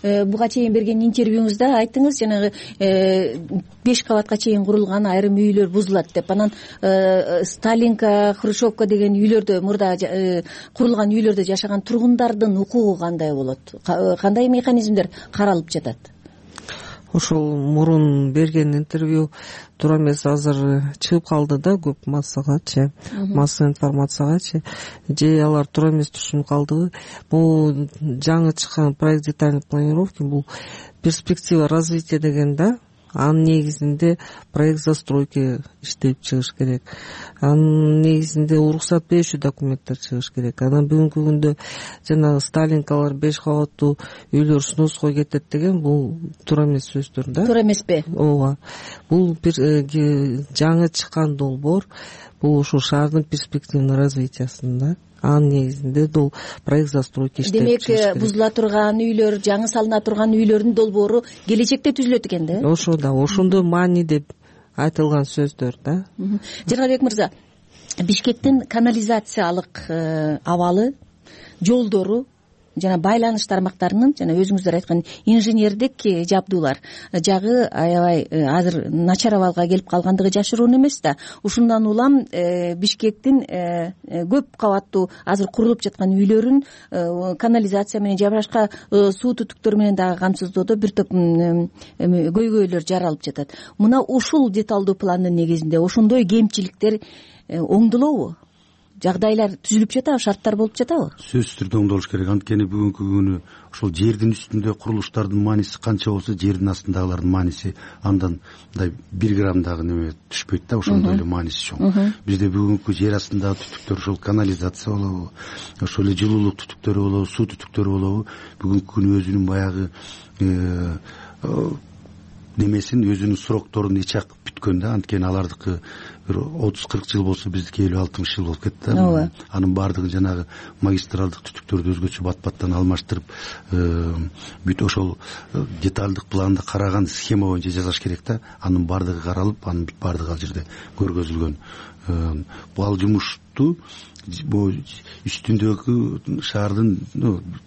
Speaker 6: буга чейин берген интервьюңузда айттыңыз, жанагы 5 кабатка чейин курулган айрым үйлөр бузулат деп. Анан Сталинка, Хрущевка деген үйлөрдө, мурда курулган үйлөрдө жашаган тургундардын укугу кандай болот? Кандай механизмдер каралып жатат?
Speaker 19: Ошол мурун берген интервью туура эмес, азыр чыгып калды да көп массагачы, массовый информациягачы. Же алар туура эмес түшүнүп калдыбы? Бул жаңы чыккан проект детальной планировки, бул перспектива развития деген да. Анын негизинде проект застройки иштеп чыгыш керек. Анын негизинде уруксат берүүчү документтер чыгыш керек. Анан бүгүнкү күндө жанагы Сталинкалар 5 кабаттуу үйлөр сноско кетет деген, бул туура эмес сөздөр да. Туура
Speaker 6: эмеспи?
Speaker 19: Ооба. Бул бир жаңы чыккан долбоор, бул ушул шаардын перспективный развитиясында. Анын негизинде бул проект застройки иштеп чыгыш керек.
Speaker 6: Демек, бузула турган үйлөр, жаңы салына турган үйлөрдүн долбоору келечекте түзүлөт экен да?
Speaker 19: Ошо да, ошондо маани деп айтылган сөздөр да.
Speaker 6: Жыргалбек мырза, Бишкектин канализациялык абалы, жолдору жана байланыш тармактарынын, жана өзүңүздөр айткан инженердик жабдуулар жагы аябай азыр начар абалга келип калгандыгы жашыруун эмес да. Ушундан улам Бишкектин көп кабаттуу азыр курулуп жаткан үйлөрүн канализация менен же башка суу түтүктөр менен дагы камсыздоодо бир топ көйгөйлөр жаралып жатат. Мына ушул деталдуу пландын негизинде ошондой кемчиликтер оңдолобу? Жагдайлар түзүлүп жатабы, шарттар болуп жатабы?
Speaker 7: Сөзсүз түрдө оңдолуш керек. Анткени бүгүнкү күнү ошол жердин үстүндө курулуштардын мааниси канча болсо, жердин астындагылардын мааниси андан мындай 1 грамм дагы неме түшпөйт да, ошондой эле мааниси чоң. Бизде бүгүнкү жер астындагы түтүктөр, ошол канализация болобу, ошол эле жылуулук түтүктөрү болобу, суу түтүктөрү болобу, бүгүнкү күнү өзүнүн баягы немесин, өзүнүн срокторун ичак бүткөн да. Анткени алардыкы бир 30-40 жыл болсо, биздики 50-60 жыл болуп кетти да. Анын баардыгын жанагы магистралдык түтүктөрдү өзгөчө бат-баттан алмаштырып, бүт ошол деталдык планды караган схема боюнча жасаш керек да. Анын баардыгы каралып, анын баардыгы ал жерде көргөзүлгөн. Бул жумушту могу үстүндөгү шаардын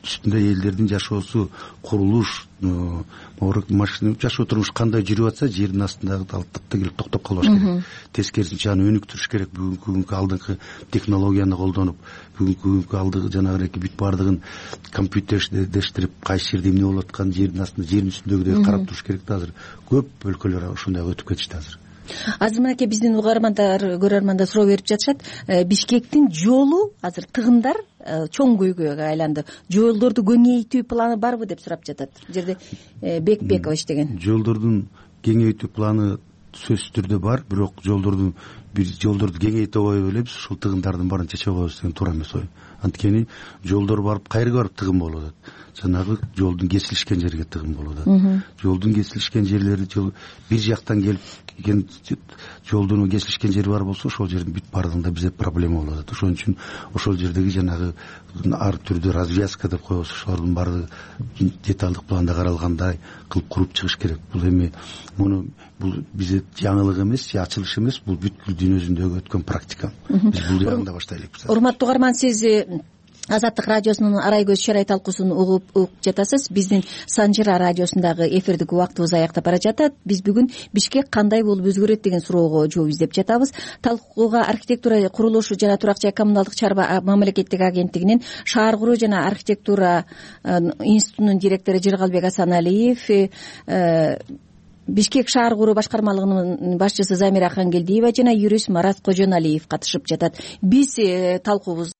Speaker 7: үстүндө элдердин жашоосу, курулуш, машина жашоо турмуш кандай жүрүп атса, жердин астындагы алып келип токтоп калбаш керек. Тескерисинче аны өнүктүрүш керек. Бүгүнкү алдыңкы технологияны колдонуп, бүгүнкү алдыңкы жанагы бүт баардыгын компьютердештирип, кайсы жерде эмне болуп атканын жердин астында, жердин үстүндөгүдөй карап туруш керек да. Азыр көп өлкөлөр ошондой өтүп кетишти азыр.
Speaker 6: Азыр мынакей биздин угармандар, көрөрмандар суроо берип жатышат. Бишкектин жолу азыр тыгындар чоң көйгөйгө айланды. Жолдорду кеңейтүү планы барбы деп сурап жатат. Бул жерде Бекбекович деген.
Speaker 7: Жолдордун кеңейтүү планы сөзсүз түрдө бар, бирок жолдорду кеңейте койбой элебиз, ушул тыгындардын баарын чече коебуз деген туура эмес ой. Анткени жолдор барып кайерге барып тыгын болуп атат? Жанагы жолдун кесилишкен жерге тыгын болуп атат. Жолдун кесилишкен жерлери бир жактан келип жолдун кесилишкен жери бар болсо, ошол жердин бүт баардыгында бизде проблема болуп атат. Ошон үчүн ошол жердеги жанагы ар түрдүү развязка деп коебуз, ошолордун баардыгы деталдык планда каралгандай кылып куруп чыгыш керек. Бул эми бул бизде жаңылык эмес, ачылыш эмес, бул бүт дүйнө жүзүндөгү өткөн практика. Биз бул жагында баштайлык.
Speaker 6: Урматтуу угарман, сиз Азаттык радиосунун Арай көз чырай талкуусун угуп жатасыз. Биздин Санжыра радиосундагы эфирдик убактыбыз аяктап бара жатат. Биз бүгүн Бишкек кандай болуп өзгөрөт деген суроого жооп издеп жатабыз. Талкууга архитектура, курулуш жана турак жай коммуналдык чарба мамлекеттик агенттигинин шаар куруу жана архитектура институтунун директору Жыргалбек Асаналиев, Бишкек шаар куруу башкармалыгынын башчысы Замира Хангелдиева жана юрист Марат Кожоналиев катышып жатат. Биз талкуубузду